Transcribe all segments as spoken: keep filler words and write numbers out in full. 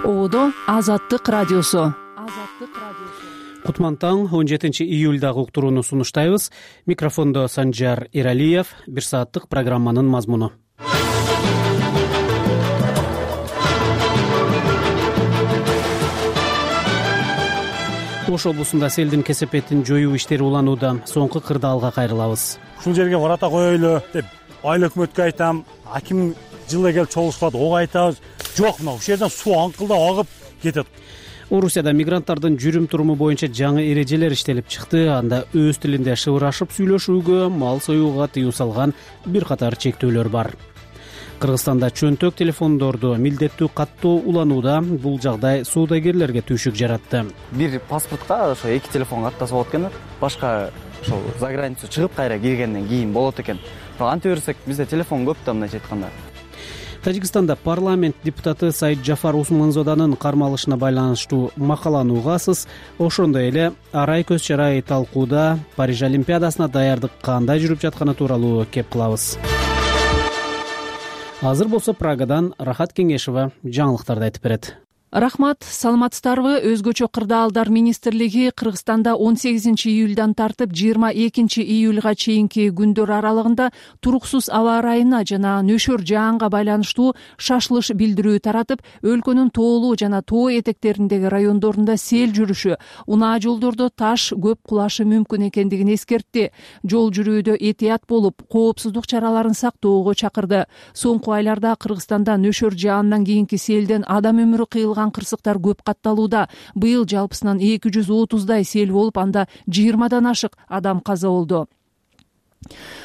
Оодо Азаттык радиосу. Кутман таң, он жетинчи июлдагы уктурууну сунуштайбыз. Микрофондо Санжар Иралиев. Бир сааттык программанын мазмуну. Ош облусунда селдин кесепетин жоюу иштери уланууда. Соңку кырдаалга кайрылабыз. Ушул жерге врата коелу деп айыл өкмөткө айтам, аким жылы келип чогулушкат, ого айтабыз. Жок, мына ушул жерден суу аңкылдап агып кетет. Орусияда мигранттардын жүрүм туруму боюнча жаңы эрежелер иштелип чыкты. Анда өз тилинде шыбырашып сүйлөшүүгө, мал союуга тыюу салган бир катар чектөөлөр бар. Кыргызстанда чөнтөк телефондорду милдеттүү каттоо уланууда. Бул жагдай соодагерлерге түйшүк жаратты. Бир паспортко ошо эки телефон каттаса болот экен. Башка ошол за границу чыгып кайра киргенден кийин болот экен. Анте берсек бизде телефон көп да, мындайча айтканда. Тажикстанда парламент депутаты Саид Джафар Усманзоданын кармалышына байланыштуу макаланы угасыз. Ошондой эле арай көз чарай талкууда Париж Олимпиадасына даярдык кандай жүрүп жатканы тууралуу кеп кылабыз. Азыр болсо Прагадан Рахат Кеңешова жаңылыктарды айтып берет. Рахмат, саламатсыздарбы? Өзгөчө кырдаалдар министрлиги Кыргызстанда он сегизинчи июлдан тартып жыйырма экинчи июлга чейинки күндөр аралыгында туруксуз аба ырайына жана нөшөр жаанга байланыштуу шашылыш билдирүү таратып, өлкөнүн тоолуу жана тоо этектериндеги райондорунда сел жүрүшү, унаа жолдордо таш көп кулашы мүмкүн экендигин эскертти. Жол жүрүүдө этият болуп, коопсуздук чараларын сактоого чакырды. Соңку айларда Кыргызстанда нөшөр жаандан кийинки селден адам өмүрү кыйылган кырсыктар көп катталууда. Быйыл жалпысынан эки жүз отуздай сел болуп, анда жыйырмадан ашык адам каза болду.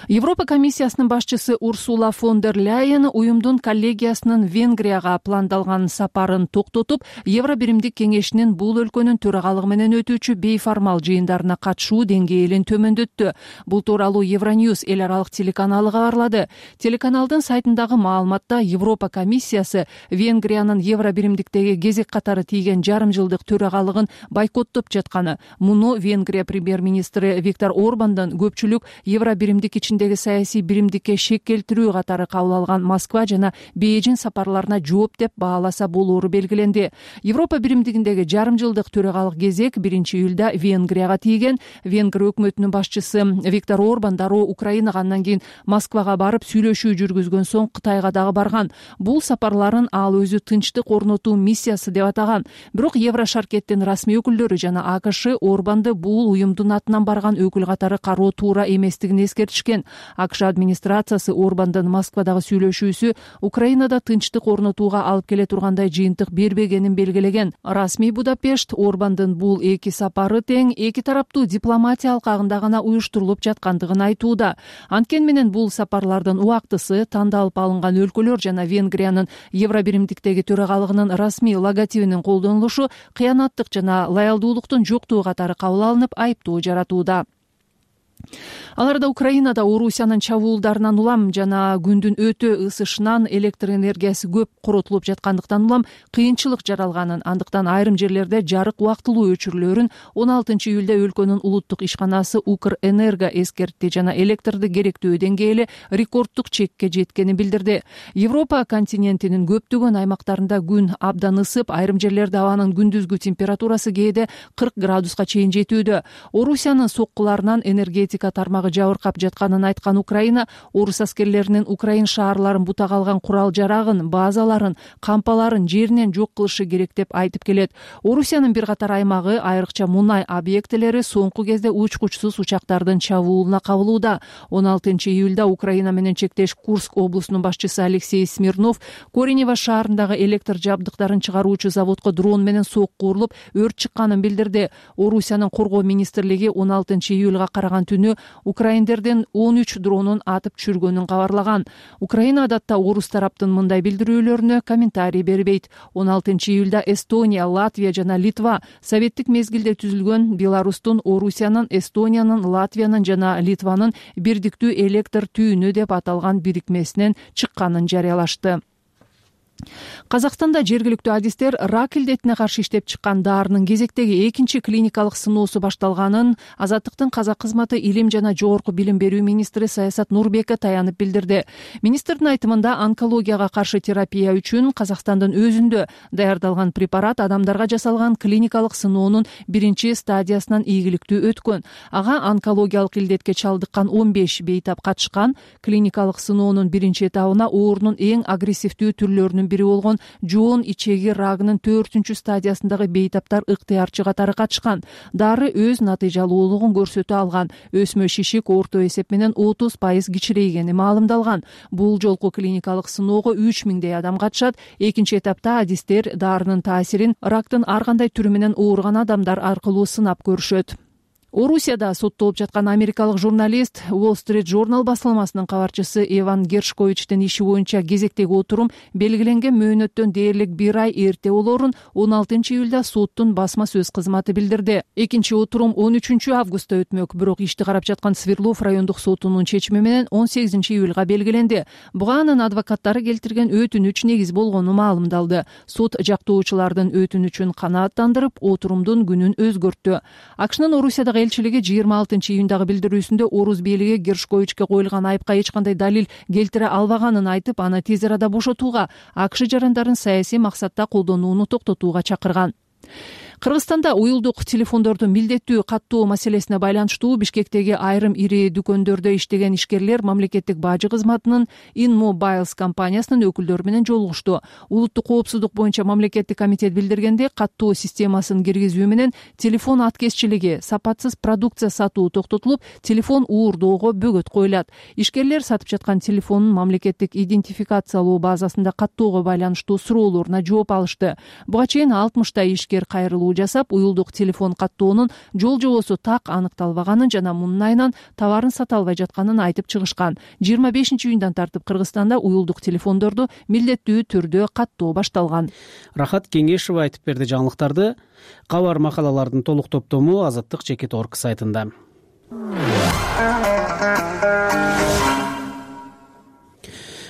Европа комиссиясынын башчысы Урсула фон дер Ляйен уюмдун коллегиясынын Венгрияга пландалган сапарын токтотуп, Евро биримдик кеңешинин бул өлкөнүн төрагалыгы менен өтүүчү бейформал жыйындарына катышуу деңгээлин төмөндөттү. Бул тууралуу Евроньюз эл аралык телеканалы кабарлады. Телеканалдын сайтындагы маалыматта Европа комиссиясы Венгриянын Евро биримдиктеги кезек катары тийген жарым жылдык төрагалыгын бойкоттоп жатканы, муну Венгрия премьер-министри Виктор Орбандын көпчүлүк Евро биримдик ичиндеги саясий биримдикке шек келтирүү катары кабыл алган Москва жана Бейжин сапарларына жооп деп бааласа болоору белгиленди. Европа биримдигиндеги жарым жылдык төрагалык кезек биринчи июлда Венгрияга тийген. Венгрия өкмөтүнүн башчысы Виктор Орбан дароо Украинага, андан кийин Москвага барып сүйлөшүү жүргүзгөн соң Кытайга дагы барган. Бул сапарларын ал өзү тынчтык орнотуу миссиясы деп атаган. Бирок Еврошаркеттин расмий өкүлдөрү жана АКШ Орбанды бул уюмдун атынан барган өкүл катары кароо туура эместигин эскертишкен. АКШ администрациясы Орбандын Москвадагы сүйлөшүүсү Украинада тынчтык орнотууга алып келе тургандай жыйынтык бербегенин белгилеген. Расмий Будапешт Орбандын бул эки сапары тең эки тараптуу дипломатия алкагында гана уюштурулуп жаткандыгын айтууда. Анткени менен бул сапарлардын убактысы, тандалып алынган өлкөлөр жана Венгриянын Евро биримдиктеги төрагалыгынын расмий логотипинин колдонулушу кыянаттык жана лоялдуулуктун жоктугу катары кабыл алынып, айыптоо жаратууда. Аларда Украинада Орусиянын чабуулдарынан улам жана күндүн өтө ысышынан электр энергиясы көп коротулуп жаткандыктан улам кыйынчылык жаралганын, андыктан айрым жерлерде жарык убактылуу өчүрүлөөрүн он алтынчы июлда өлкөнүн улуттук ишканасы Укрэнерго эскертти жана электрди керектөө деңгээли рекорддук чекке жеткенин билдирди. Европа континентинин көптөгөн аймактарында күн абдан ысып, айрым жерлерде абанын күндүзгү температурасы кээде кырк градуска чейин жетүүдө. Орусиянын соккуларынан энергетика тармагы жабыркап жатканын айткан Украина, орус аскерлеринин Украин шаарларын бутага алган курал жарагын, базаларын, кампаларын жеринен жок кылышы керек деп айтып келет. Орусиянын бир катар аймагы, айрыкча мунай объектилери соңку кезде учкучсуз учактардын чабуулуна кабылууда. он алтынчы июлда Украина менен чектеш Курск облусунун башчысы Алексей Смирнов Коренево шаарындагы электр жабдыктарын чыгаруучу заводко дрон менен сокку урулуп, өрт чыкканын билдирди. Орусиянын коргоо министрлиги он алтынчы июлга караган түнү украиндердин он үч дронун атып түшүргөнүн кабарлаган. Украина адатта орус тараптын мындай билдирүүлөрүнө комментарий бербейт. он алтынчы июлда Эстония, Латвия жана Литва советтик мезгилде түзүлгөн Беларустун, Орусиянын, Эстониянын, Латвиянын жана Литванын бирдиктүү электр түйүнү деп аталган бирикмесинен чыкканын жарыялашты. Казакстанда жергиликтүү адистер рак илдетине каршы иштеп чыккан дарынын кезектеги экинчи клиникалык сыноосу башталганын Азаттыктын казак кызматы илим жана жогорку билим берүү министри Саясат Нурбеков таянып билдирди. Министрдин айтымында онкологияга каршы терапия үчүн Казакстандын өзүндө даярдалган препарат адамдарга жасалган клиникалык сыноонун биринчи стадиясынан ийгиликтүү өткөн. Ага онкологиялык илдетке чалдыккан он беш бейтап катышкан. Клиникалык сыноонун биринчи этабына оорунун эң агрессивдүү түрлөрүнүн бири болгон жоон ичеги рагынын төртүнчү стадиясындагы бейтаптар ыктыярчы катары катышкан. Дары өз натыйжалуулугун көрсөтө алган. Өсмө шишик орто эсеп менен отуз пайыз кичирейгени маалымдалган. Бул жолку клиникалык сыноого үч миңдей адам катышат. Экинчи этапта адистер дарынын таасирин рактын ар кандай түрү менен ооруган адамдар аркылуу сынап көрүшөт. Орусияда соттолуп жаткан америкалык журналист Wall Street Journal басылмасынын кабарчысы Эван Гершковичтин иши боюнча кезектеги отурум белгиленген мөөнөттөн дээрлик бир ай эрте болоорун он алтынчы июлда соттун басма сөз кызматы билдирди. Экинчи отурум он үчүнчү августта өтмөк, бирок ишти карап жаткан Свердлов райондук сотунун чечими менен он сегизинчи июлга белгиленди. Буга анын адвокаттары келтирген өтүнүч негиз болгону маалымдалды. Сот жактоочулардын өтүнүчүн канааттандырып, отурумдун күнүн өзгөрттү. АКШнын Орусиядагы элчилиги жыйырма алтынчы июндагы билдирүүсүндө Орус бийлиги Гершковичке коюлган айыпка эч кандай далил келтире албаганын айтып, аны тез арада бошотууга, АКШ жарандарын саясий максатта колдонууну токтотууга чакырган. Кыргызстанда уюлдук телефондорду милдеттүү каттоо маселесине байланыштуу Бишкектеги айрым ири дүкөндөрдө иштеген ишкерлер мамлекеттик бажы кызматынын InMobiles компаниясынын өкүлдөрү менен жолугушту. Улуттук коопсуздук боюнча мамлекеттик комитет билдиргенде, каттоо системасын киргизүү менен телефон аткезчилиги, сапатсыз продукция сатуу токтотулуп, телефон уурдоого бөгөт коюлат. Ишкерлер сатып жаткан телефонун мамлекеттик идентификациялоо базасында каттоого байланыштуу суроолоруна жооп алышты. Буга чейин алтымыштай ишкер кайрылуу жасап, уюлдук телефон каттоонун жол жобосу так аныкталбаганын жана мунун айынан товарын сата албай жатканын айтып чыгышкан. жыйырма бешинчи июндан тартып Кыргызстанда уюлдук телефондорду милдеттүү түрдө каттоо башталган. Рахат Кеңешева айтып берди жаңылыктарды. Кабар макалалардын толук топтому Азаттык чекит точка орг сайтында.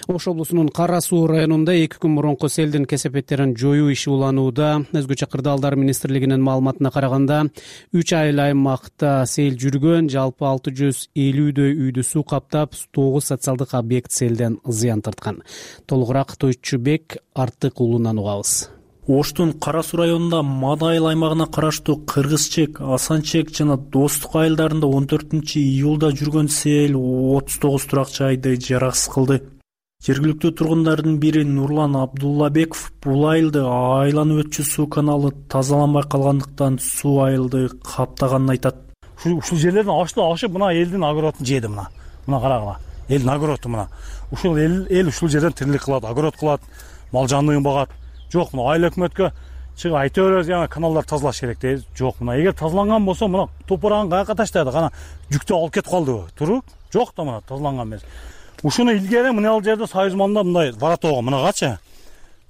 Ош облусунун Кара Суу районунда эки күн мурунку селдин кесепеттерин жоюу иши уланууда. Өзгөчө кырдаалдар министрлигинин маалыматына караганда, үч айыл аймакта сел жүргөн, жалпы алты жүз элүүдөй үйдү суу каптап, тогуз социалдык объект селден зыян тарткан. Толугураак Тойчубек Артык уулунан угабыз. Оштун Кара Суу районунда Мада айыл аймагына караштуу Кыргызчек, Асанчек жана Достук айылдарында он төртүнчү июлда жүргөн сел отуз тогуз турак жайды жараксыз кылды. Жергиликтүү тургундардын бири Нурлан Абдуллабеков бул айылды айланып өтчү суу каналы тазаланбай калгандыктан суу айылды каптаганын айтат. Ушул жерлерден ашты ашып, мына элдин огородун жеди мына. Мына карагыла. Элдин огороду мына. Ушул эл эл ушул жерден тирилик кылат, огород кылат, мал жанлыгын багат. Жок, мына айыл өкмөткө чыгып айта беребиз, яна каналдар тазалаш керек дейбиз. Жок, мына эгер тазаланган болсо, мына топурагын каяка таштайды, кана жүктү алып кетип калдыбы? Туруп? Жок да мына тазаланган эмес. Ушуну илгери мына жерде Союз манда мындай воротого мынагачы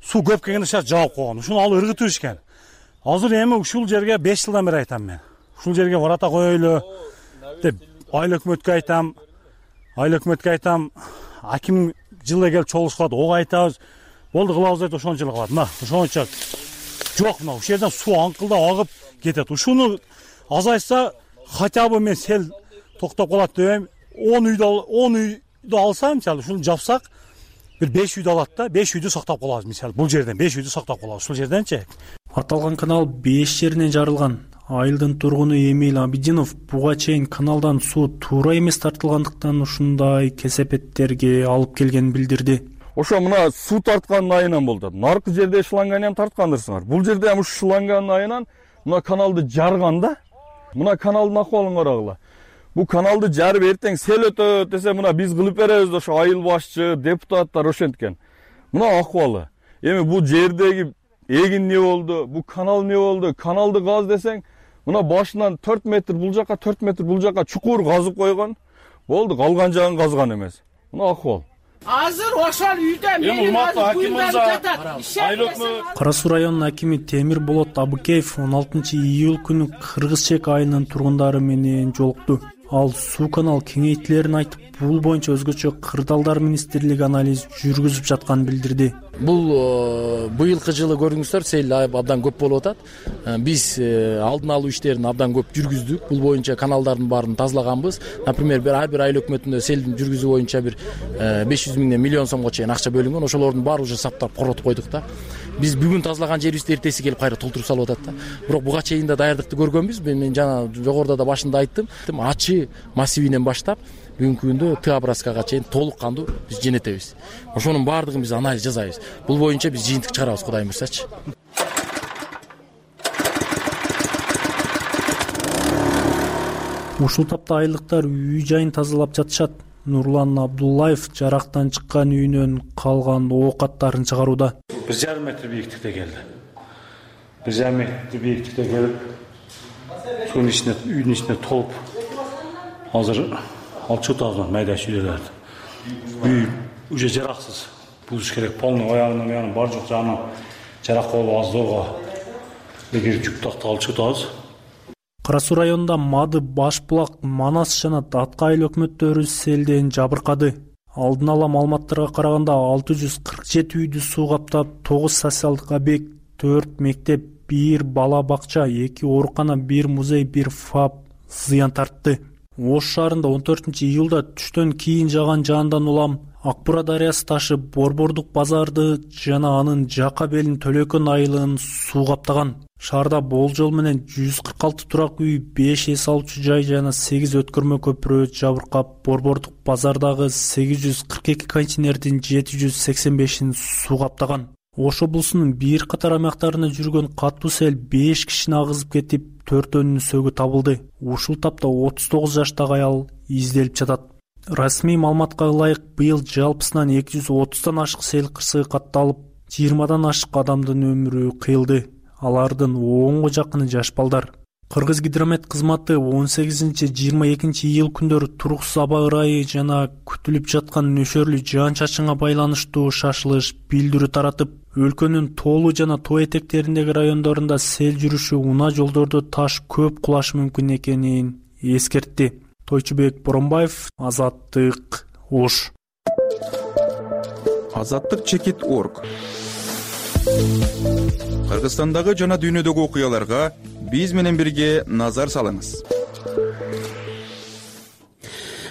суу көп келгенде шарт жаап койгон. Ушуну алып ыргытып ишкен. Азыр эми ушул жерге беш жылдан бери айтам мен. Ушул жерге ворота коелу деп айыл өкмөткө айтам. Айыл өкмөткө айтам. Аким жылы келип чогулушкат, ого айтабыз. Болду кылабыз деп ошончо эле кылат. Мына ошончо жок, мына ушул жерден суу аңкылдап агып кетет. Ушуну азайса хотя бы мен сел токтоп калат дейм. он үйдө он үй алса, мисалы, ушуну жапсак, бир беш үйдү алат да, беш үйдү сактап калабыз, мисалы, бул жерден беш үйдү сактап калабыз, ушул жерденчи. Аталган канал беш жеринен жарылган. Айылдын тургуну Эмил Абидинов буга чейин каналдан суу туура эмес тартылгандыктан ушундай кесепеттерге алып келгенин билдирди. Ошо мына суу тарткан айынан болду. Наркы жерде шланганы ham тарткандырсыңар. Бул жерде ham ушу шланган айынан мына каналды жарган да. Мына каналдын акыбалын карагыла. Бу каналды жарып эртең сел өтөт десе, мына биз кылып беребиз, ошо айыл башчы, депутаттар ошенткен. Мына акыбалы. Эми бул жердеги эгин не болду, бу канал не болду? Каналды каз десең, мына башынан төрт метр бул жака, төрт метр бул жака чукур казып койгон. Болду, калган жагын казган эмес. Мына акыбал. Азыр ошол үйдө менин акимimiz Кара Суу районунун акими Темир Болот Абыкеев он алтынчы июль күнү Кыргызчек айылынын тургундары менен жолукту. Ал суу канал кеңейтилерин айтып, бул боюнча өзгөчө кырдаалдар министрлиги анализ жүргүзүп жатканын билдирди. Бул быйылкы жылы көрдүңүздөр, сел абдан көп болуп атат. Биз алдын алуу иштерин абдан көп жүргүздүк. Бул боюнча каналдардын баарын тазалаганбыз. Например, бир ар бир айыл өкмөтүндө селдин жүргүзүү боюнча бир беш жүз миңден миллион сомго чейин акча бөлүнгөн. Ошолордун баары уже саптап коротуп койдук да. Биз бүгүн тазалаган жерибизди эртеси келип кайра толтуруп салып атат да. Бирок буга чейин да даярдыкты көргөнбүз. Мен жана жогоруда да башында айттым. Ачы массивинен баштап бүгүнкү күндө Т образкага чейин толук кандуу биз жөнөтөбүз. Ошонун баардыгын биз анализ жасайбыз. Бул боюнча биз жыйынтык чыгарабыз, Кудайым буйрсачы. Ушул тапта айылдыктар үй жайын тазалап жатышат. Нурлан Абдуллаев жарактан чыккан үйүнөн калган оокаттарын чыгарууда. бир жарым метр бийиктикте келди. бир жарым метр бийиктикте келип, сунун ичине, үйдүн ичине толуп, азыр алчу тазган майда шүйлөлөрдү. Үй уже жараксыз. Бузуш керек. Полный аягынан аягынан бар жок жагынан жарак болуп аздоого. Эгер жүк такты алчу таз. Кара Суу районунда Мады, Башбулак, Манас жана Датка айыл өкмөттөрү селден жабыркады. Алдын ала маалыматтарга караганда алты жүз кырк жети үйдү суу каптап, тогуз социалдык объект, төрт мектеп, бир бала бакча, эки оорукана, бир музей, бир ФАП зыян тартты. Ош шаарында он төртүнчү июлда түштөн кийин жааган жаандан улам Ак Бура дарыясы ташып, Борбордук базарды жана анын жака белин Төлөкөн айылын суу каптаган. Шаарда болжол менен жүз кырк алты турак үй, беш эс алуучу жай жана сегиз өткөрмө көпүрө жабыркап, Борбордук базардагы сегиз жүз кырк эки контейнердин жети жүз сексен бешин суу каптаган. Ош облусунун бир катар аймактарына жүргөн катуу сел беш кишини агызып кетип, төртөөнүнүн сөөгү табылды. Ушул тапта отуз тогуз жаштагы аял изделип жатат. Расмий маалыматка ылайык, быйыл жалпысынан эки жүз отуздан ашык сел кырсыгы катталып, жыйырмадан ашык адамдын өмүрү кыйылды. Алардын онго жакыны жаш балдар. Кыргыз гидромет кызматы он сегизинчи жыйырма экинчи июл күндөрү туруксуз аба ырайы жана күтүлүп жаткан нөшөрлүү жаан-чачынга байланыштуу шашылыш билдирүү таратып, өлкөнүн тоолуу жана тоо этектериндеги райондорунда сел жүрүшү, унаа жолдордо таш көп кулашы мүмкүн экенин эскертти. Тойчубек Боронбаев, Азаттык, Ош. Азаттык чекит точка орг. Кыргызстандагы жана дүйнөдөгү окуяларга биз менен бирге назар салыңыз.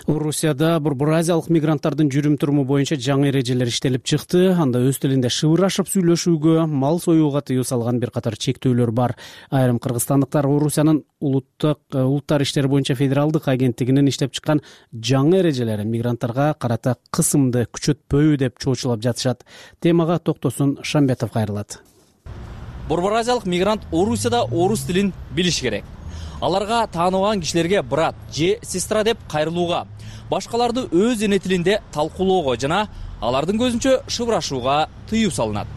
Орусияда Борбор Азиялык мигранттардын жүрүм туруму боюнча жаңы эрежелер иштелип чыкты. Анда өз тилинде шыбырашып сүйлөшүүгө, мал союуга тыюу салган бир катар чектөөлөр бар. Айрым кыргызстандыктар Орусиянын улуттук улуттар иштери боюнча федералдык агенттигинин иштеп чыккан жаңы эрежелери мигранттарга карата кысымды күчөтпөйбү деп чоочулап жатышат. Темага Токтосун Шамбетов кайрылат. Борбор Азиялык мигрант Орусияда орус тилин билиш керек. Аларга тааныбаган кишилерге брат же сестра деп кайрылууга, башкаларды өз эне тилинде талкуулоого жана алардын көзүнчө шыбырашууга тыюу салынат.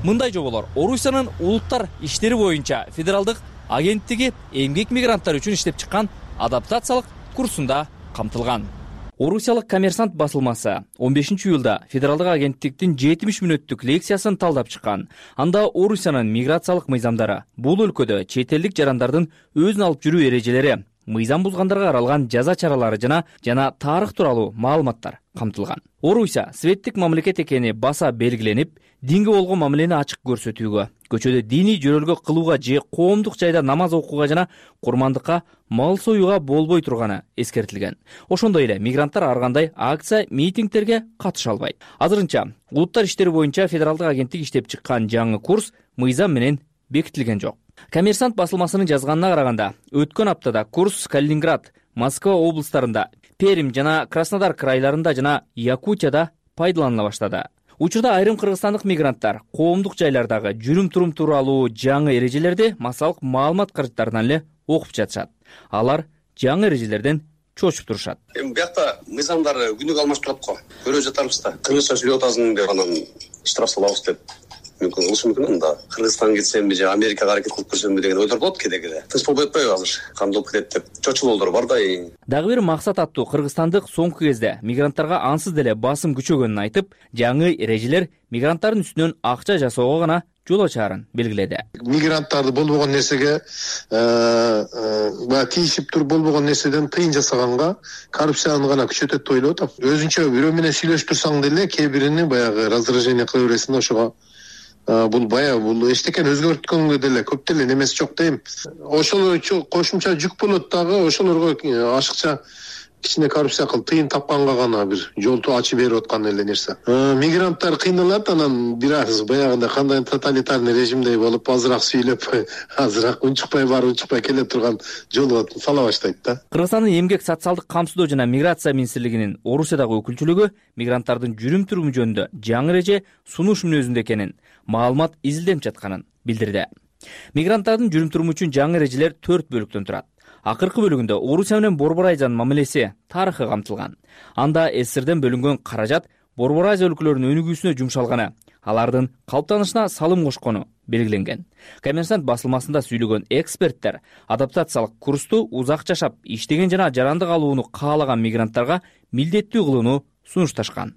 Мындай жоболор Орусиянын улуттар иштери боюнча федералдык агенттиги эмгек мигранттар үчүн иштеп чыккан адаптациялык курсунда камтылган. Орусиялык Коммерсант басылмасы он бешинчи июлда федералдык агенттиктин жетимиш мүнөттүк лекциясын талдап чыккан. Анда Орусиянын миграциялык мыйзамдары, бул өлкөдө чет элдик жарандардын өзүн алып жүрүү эрежелери, мыйзам бузгандарга каралган жаза чаралары жана жана тарых тууралуу маалыматтар камтылган. Орусия светтик мамлекет экени баса белгиленип, динге болгон мамилени ачык көрсөтүүгө, көчөдө диний жөрөлгө кылууга же коомдук жайда намаз окууга жана курмандыкка, мал союуга болбой турганы эскертилген. Ошондой эле мигранттар ар кандай акция, митингтерге катыша албайт. Азырынча улуттар иштери боюнча федералдык агенттик иштеп чыккан жаңы курс мыйзам менен бекитилген жок. Коммерсант басылмасынын жазганына караганда, өткөн аптада курс Калининград, Москва облустарында, Пермь жана Краснодар крайларында жана Якутияда пайдаланыла баштады. Учурда айрым кыргызстандык мигранттар коомдук жайлардагы жүрүм турум тууралуу жаңы эрежелерди массалык маалымат каражаттарынан эле окуп жатышат. Алар жаңы эрежелерден чочуп турушат. Эми биякта мыйзамдар күнүгө алмашып турат го. Көрүп жатарбыз да. Кыргызча сүйлөп атасың деп анан штраф салабыз деп мүмкүн кылышы мүмкүн. Анда Кыргызстанга кетсемби же Америкага аракет кылып көрсөмбү деген ойлор болот кээде кээде. Тынч болбой атпайбы азыр? Кандай болуп кетет деп чочулоолор бар да. Дагы бир максат аттуу кыргызстандык соңку кезде мигранттарга ансыз деле басым күчөгөнүн айтып, жаңы эрежелер мигранттардын үстүнөн акча жасоого гана жол ачаарын белгиледи. Мигранттарды болбогон нерсеге баягы тийишип туруп болбогон нерседен тыйын жасаганга коррупцияны гана күчөтөт деп ойлоп атам. Өзүнчө бирөө менен сүйлөшүп турсаң деле кээ бирини баягы раздражение кыла бересиң да, ошого бул баягы бул эчтекени өзгөрткөнгө деле көп деле немеси жок дейм. Ошол кошумча жүк болот дагы, ошолорго ашыкча кичине коррупция кылып тыйын тапканга гана бир жолду ачып берип аткан эле нерсе. Мигранттар кыйналат, анан бир аз баягындай кандай тоталитарный режимдей болуп азыраак сүйлөп, азыраак унчукпай барып унчукпай келе турган жолго сала баштайт да. Кыргызстандын эмгек социалдык камсыздоо жана миграция министрлигинин Орусиядагы өкүлчүлүгү мигранттардын жүрүм туруму жөнүндө жаңы эреже сунуш мүнөзүндө экенин, маалымат изилденип жатканын билдирди. Мигранттардын жүрүм туруму үчүн жаңы эрежелер төрт бөлүктөн турат. Акыркы бөлүгүндө Орусия менен Борбор Азиянын мамилеси тарыхы камтылган. Анда СССРден бөлүнгөн каражат Борбор Азия өлкөлөрүнүн өнүгүүсүнө жумшалганы, алардын калыптанышына салым кошкону белгиленген. Коммерсант басылмасында сүйлөгөн эксперттер адаптациялык курсту узак жашап, иштеген жана жарандык алууну каалаган мигранттарга милдеттүү кылууну сунушташкан.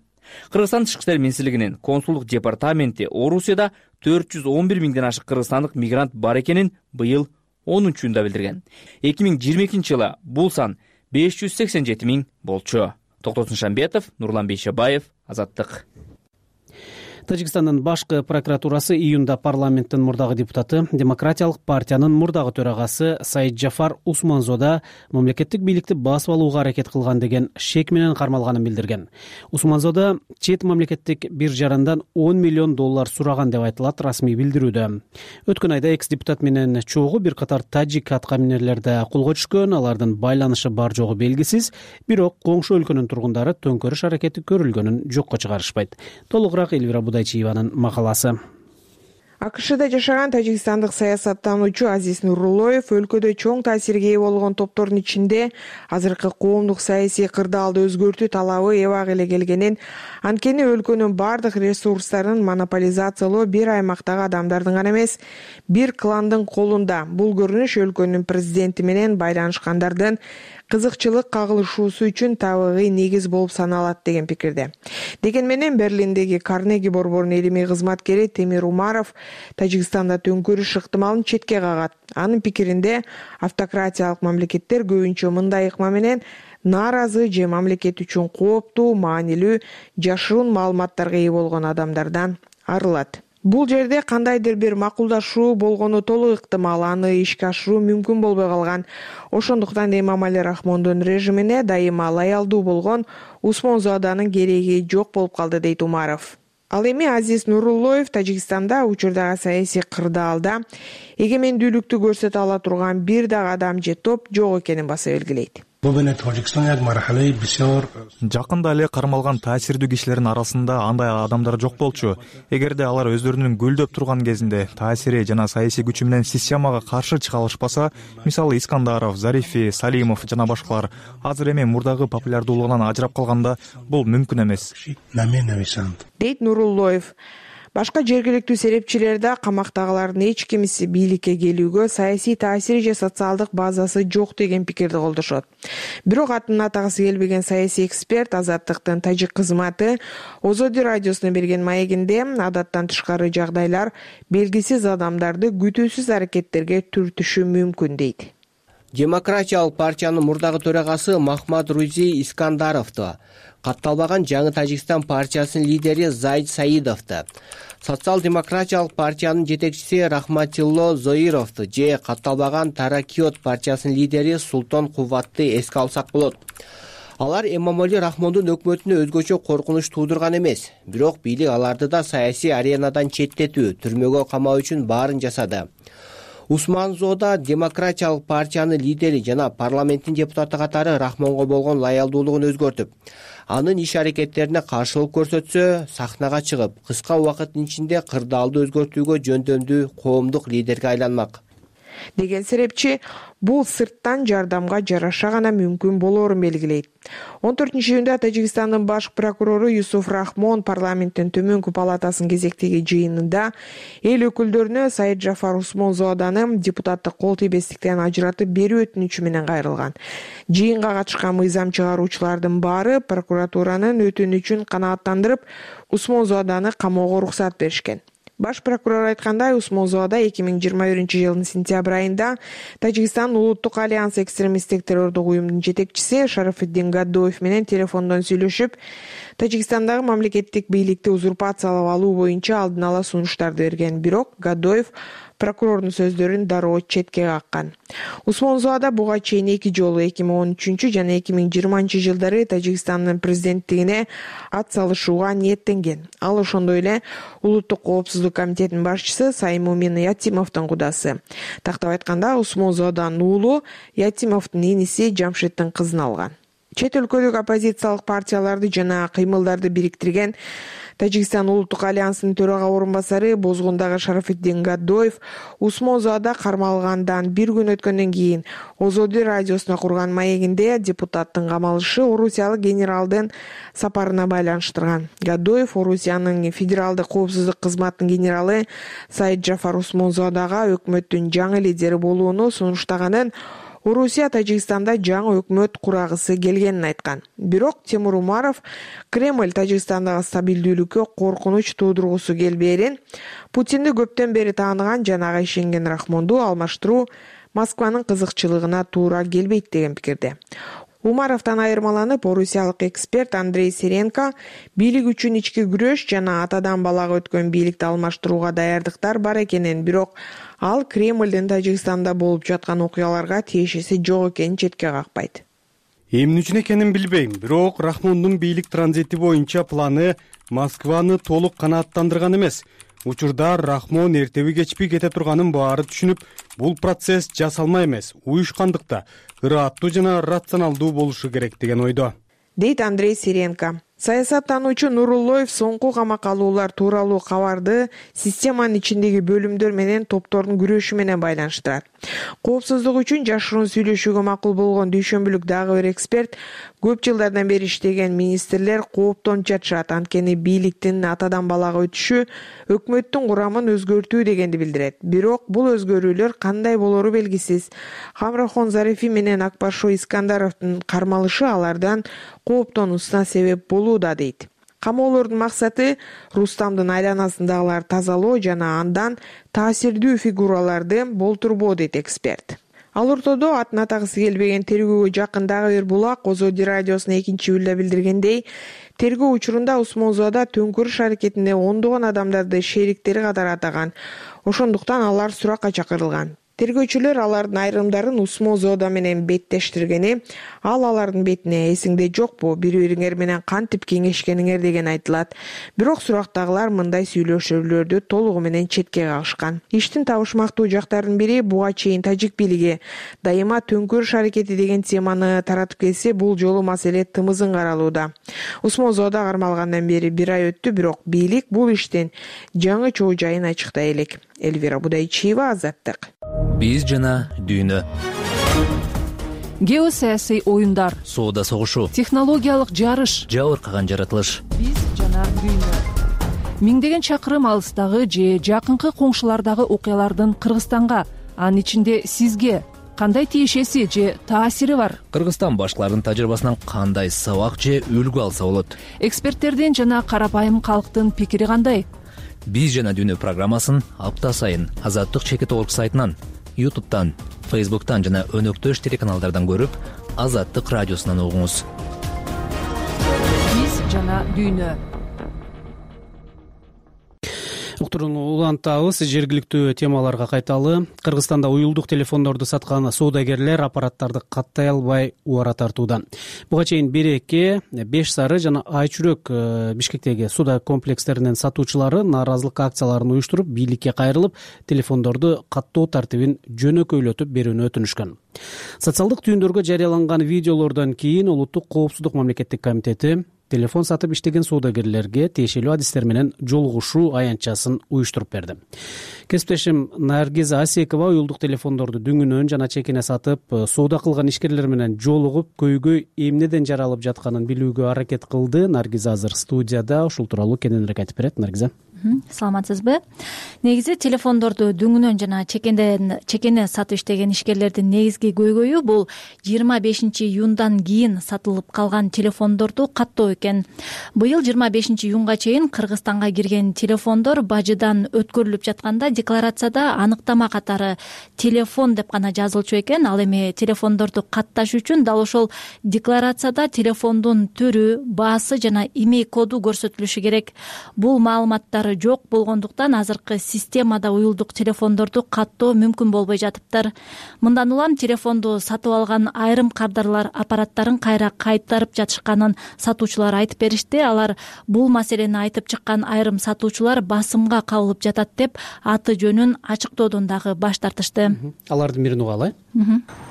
Кыргызстан Тышкы иштер министрлигинин консулдук департаменти Орусияда төрт жүз он бир миңден ашык кыргызстандык мигрант бар экенин быйыл онунчу июнда билдирген. эки миң жыйырма экинчи жылы бул сан беш жүз сексен жети миң болчу. Токтосун Шамбетов, Нурлан Бейшебаев, Азаттык. Тажикстандын башкы прокуратурасы июнда парламенттин мурдагы депутаты, Демократиялык партиянын мурдагы төрагасы Саид Джафар Усманзода мамлекеттик бийликти басып алууга аракет кылган деген шек менен кармалганын билдирген. Усманзода чет мамлекеттик биржарындан он миллион доллар сураган деп айтылат расмий билдирүүдө. Өткөн айда экс депутат менен чогуу бир катар тажик аткаминерлер да колго түшкөн, алардын байланышы бар жогу белгисиз, бирок коңшу өлкөнүн тургундары төңкөрүш аракети көрүлгөнүн жокко чыгарышпайт. Толугураак Элвира Будайчиеванын макаласы. АКШда жашаган тажикстандык саясаттануучу Азиз Нуруллоев өлкөдө чоң таасирге ээ болгон топтордун ичинде азыркы коомдук саясий кырдаалды өзгөртүү талабы эбак эле келгенин, анткени өлкөнүн бардык ресурстарын монополизациялоо бир аймактагы адамдардын гана эмес, бир кландын колунда. Бул көрүнүш өлкөнүн президенти менен байланышкандардын кызыкчылык кагылышуусу үчүн табигый негиз болуп саналат деген пикирде. Деген менен Берлиндеги Карнеги борборунун илимий кызматкери Темир Умаров Тажикстанда төңкөрүш ыктымалын четке кагат. Анын пикиринде автократиялык мамлекеттер көбүнчө мындай ыкма менен нааразы же мамлекет үчүн кооптуу, маанилүү, жашыруун маалыматтарга ээ болгон адамдардан арылат. Бул жерде кандайдыр бир макулдашуу болгону толук ыктымал, аны ишке ашыруу мүмкүн болбой калган. Ошондуктан Эмомали Рахмондун режимине дайыма лоялдуу болгон Усманзоданын кереги жок болуп калды, дейт Умаров. Ал эми Азиз Нуруллоев Тажикстанда учурдагы саясий кырдаалда эгемендүүлүктү көрсөтө ала турган бир дагы адам же топ жок экенин баса белгилейт. Жакында эле кармалган таасирдүү кишилердин арасында андай адамдар жок болчу. Эгерде алар өздөрүнүн гүлдөп турган кезинде таасири жана саясий күчү менен системага каршы чыга алышпаса, мисалы Искандаров, Зарифи, Салимов жана башкалар азыр эми мурдагы популярдуулугунан ажырап калганда бул мүмкүн эмес, дейт Нуруллоев. Башка жергиликтүү серепчилер да камактагылардын эч кимиси бийликке келүүгө саясий таасири же социалдык базасы жок деген пикирди колдошот. Бирок атын атагысы келбеген саясий эксперт Азаттыктын тажик кызматы Озоди радиосуна берген маегинде адаттан тышкары жагдайлар белгисиз адамдарды күтүүсүз аракеттерге түртүшү мүмкүн, дейт. Демократиялык партиянын мурдагы төрагасы Махмад Рузи Искандаровду, катталбаган жаңы Тажикстан партиясынын лидери Зайд Саидовду, социал-демократиялык партиянын жетекчиси Рахматилло Зоировду же катталбаган Таракиот партиясынын лидери Султан Куватты эске алсак болот. Алар Эмомали Рахмондун өкмөтүнө өзгөчө коркунуч туудурган эмес, бирок бийлик аларды да саясий аренадан четтетүү, түрмөгө камоо үчүн баарын жасады. Усманзода Демократиялык партиянын лидери жана парламенттин депутаты катары Рахмонго болгон лоялдуулугун өзгөртүп, анын иш-аракеттерине каршылык көрсөтсө, сахнага чыгып, кыска убакыттын ичинде кырдаалды өзгөртүүгө жөндөмдүү коомдук лидерге айланмак. деген серепчи бул сырттан жардамга жараша гана мүмкүн болоорун белгилейт. он төртүнчү июнда Тажикстандын баш прокурору Юсуф Рахмон парламенттин төмөнкү палатасынын кезектеги жыйынында эл өкүлдөрүнө Саид Жафар Усмонзоданы депутаттык кол тийбестиктен ажыратып берүү өтүнүчү менен кайрылган. Жыйынга катышкан мыйзам чыгаруучулардын баары прокуратуранын өтүнүчүн канааттандырып, Усмонзоданы камоого уруксат беришкен. Баш прокурор айткандай, Усмонзода эки миң жыйырма биринчи жылдын сентябрь айында Тажикстан Улуттук альянс экстремисттик террордук уюмдун жетекчиси Шарафиддин Гаддоев менен телефондон сүйлөшүп, Тажикстандагы мамлекеттик бийликти узурпациялап алуу боюнча алдын ала сунуштарды берген. Бирок Гаддоев прокурордун сөздөрүн дароо четке каккан. Усмонзода буга чейин эки жолу эки миң он үчүнчү жана эки миң жыйырманчы жылдары Тажикстандын президенттигине ат салышууга ниеттенген. Ал ошондой эле Улуттук коопсуздук комитетинин башчысы Саймумин Ятимовдун кудасы. Тактап айтканда, Усмонзоданын уулу Ятимовдун иниси Жамшиттин кызын алган. Чет өлкөлүк оппозициялык партияларды жана кыймылдарды бириктирген Тажикстан Улуттук альянсынын төрага орун басары Бозгундагы Шарафиддин Гаддоев Усмонзода кармалгандан бир күн өткөндөн кийин Озоди радиосуна курган маегинде депутаттын камалышы орусиялык генералдын сапарына байланыштырган. Гаддоев Орусиянын федералдык коопсуздук кызматынын генералы Саид Жафар Усмонзодага өкмөттүн жаңы лидери болууну сунуштаганын, Орусия Тажикстанда жаңы өкмөт курагысы келгенин айткан. Бирок Тимур Умаров Кремль Тажикстандагы стабилдүүлүккө коркунуч туудургусу келбээрин, Путинди көптөн бери тааныган жана ага ишенген Рахмонду алмаштыруу Москванын кызыкчылыгына туура келбейт деген пикирде. Умаровдон айырмаланып, орусиялык эксперт Андрей Сиренко бийлик үчүн ички күрөш жана атадан балага өткөн бийликти алмаштырууга даярдыктар бар экенин, бирок ал Кремлдин Тажикстанда болуп жаткан окуяларга тиешеси жок экенин четке какпайт. Эмне үчүн экенин билбейм, бирок Рахмондун бийлик транзити боюнча планы Москваны толук канааттандырган эмес. Учурда Рахмон эртеби кечпи кете турганын баары түшүнүп, бул процесс жасалма эмес, уюшкандыкта, ыраттуу жана рационалдуу болушу керек деген ойдо, дейт Андрей Сиренко. Саясаттануучу Нуруллоев соңку камакка алуулар тууралуу кабарды системанын ичиндеги бөлүмдөр менен топтордун күрөшү менен байланыштырат. Коопсуздук үчүн жашыруун сүйлөшүүгө макул болгон дүйшөмбүлүк дагы бир эксперт көп жылдардан бери иштеген министрлер кооптонуп жатышат, анткени бийликтин атадан балага өтүшү өкмөттүн курамын өзгөртүү дегенди билдирет. Бирок бул өзгөрүүлөр кандай болору белгисиз. Хамрахон Зарифи менен Акбаршо Искандаровдун кармалышы алардан кооптонуусуна себеп болууда, дейт. Камоолордун максаты Рустамдын айланасындагыларды тазалоо жана андан таасирдүү фигураларды болтурбоо, дейт эксперт. Ал ортодо атын атагысы келбеген тергөөгө жакын дагы бир булак Озоди радиосуна экинчи июлда билдиргендей, тергөө учурунда Усмонзода төңкүрүш аракетинде ондогон адамдарды шериктери катары атаган. Ошондуктан алар суракка чакырылган. Тергөөчүлөр алардын айрымдарын Усмонзода менен беттештиргени, ал алардын бетине эсиңде жокпу, бири-бириңер менен кантип кеңешкениңер деген айтылат. Бирок сурактагылар мындай сүйлөшүүлөрдү толугу менен четке кагышкан. Иштин табышмактуу жактарынын бири, буга чейин тажик бийлиги дайыма төңкүрүш аракети деген теманы таратып келсе, бул жолу маселе тымызын каралууда. Усмонзода кармалгандан бери бир ай өттү, бирок бийлик бул иштин жаңы чоо жайын ачыктай элек. Эльвира Будайчиева, Азаттык. Биз жана дүйнө. Геосаясий оюндар, соода согушу, технологиялык жарыш, жабыркаган жаратылыш. Биз жана дүйнө. Миңдеген чакырым алыстагы же жакынкы коңшулардагы окуялардын Кыргызстанга, анын ичинде сизге кандай тиешеси же таасири бар? Кыргызстан башкаларынын тажрыйбасынан кандай сабак же үлгү алса болот? Эксперттердин жана карапайым калктын пикири кандай? Биз жана дүйнө программасын апта сайын Азаттык чекит орг сайтынан, ютубтан, фейсбуктан жана өнөктөш телеканалдардан көрүп, Азаттык радиосунан угуңуз. Биз жана дүйнө. Уктурууну улантабыз. Жергиликтүү темаларга кайталы. Кыргызстанда уюлдук телефондорду саткан соодагерлер аппараттарды каттай албай убара тартууда. Буга чейин Береке, Беш Сары жана Айчүрөк Бишкектеги соода комплекстеринин сатуучулары нааразылык акцияларын уюштуруп, бийликке кайрылып, телефондорду каттоо тартибин жөнөкөйлөтүп берүүнү өтүнүшкөн. Социалдык түйүндөргө жарыяланган видеолордон кийин Улуттук коопсуздук мамлекеттик комитети телефон сатып иштеген соодагерлерге тиешелүү адистер менен жолугушуу аянтчасын уюштуруп берди. кесиптешим Наргиз Асекова уюлдук телефондорду дүңүнөн жана чекине сатып соода кылган ишкерлер менен жолугуп көйгөй эмнеден жаралып жатканын билүүгө аракет кылды. Наргиз азыр студияда, ушул тууралуу кененирээк айтып берет. Наргиза, саламатсызбы? Негизи телефондорду дүңүнөн жана чекенден чекене сатып иштеген ишкерлердин негизги көйгөйү бул жыйырма бешинчи июндан кийин сатылып калган телефондорду каттоо экен. Быйыл жыйырма бешинчи июнга чейин Кыргызстанга кирген телефондор бажыдан өткөрүлүп жатканда декларацияда анықтама катары телефон деп гана жазылчу экен. Ал эми телефондорду катташ үчүн дал ошол декларацияда телефондун түрү, баасы жана имей коду көрсөтүлүшү керек. Бул маалыматтар жок болгондуктан азыркы системада уюлдук телефондорду каттоо мүмкүн болбой жатыптыр. Мындан улам телефонду сатып алган айрым кардарлар аппараттарын кайра кайтарып жатышканын сатуучулар айтып беришти. Алар бул маселени айтып чыккан айрым сатуучулар басымга кабылып жатат деп аты жөнүн ачыктоодон дагы баш тартышты. Алардын бирин угалы.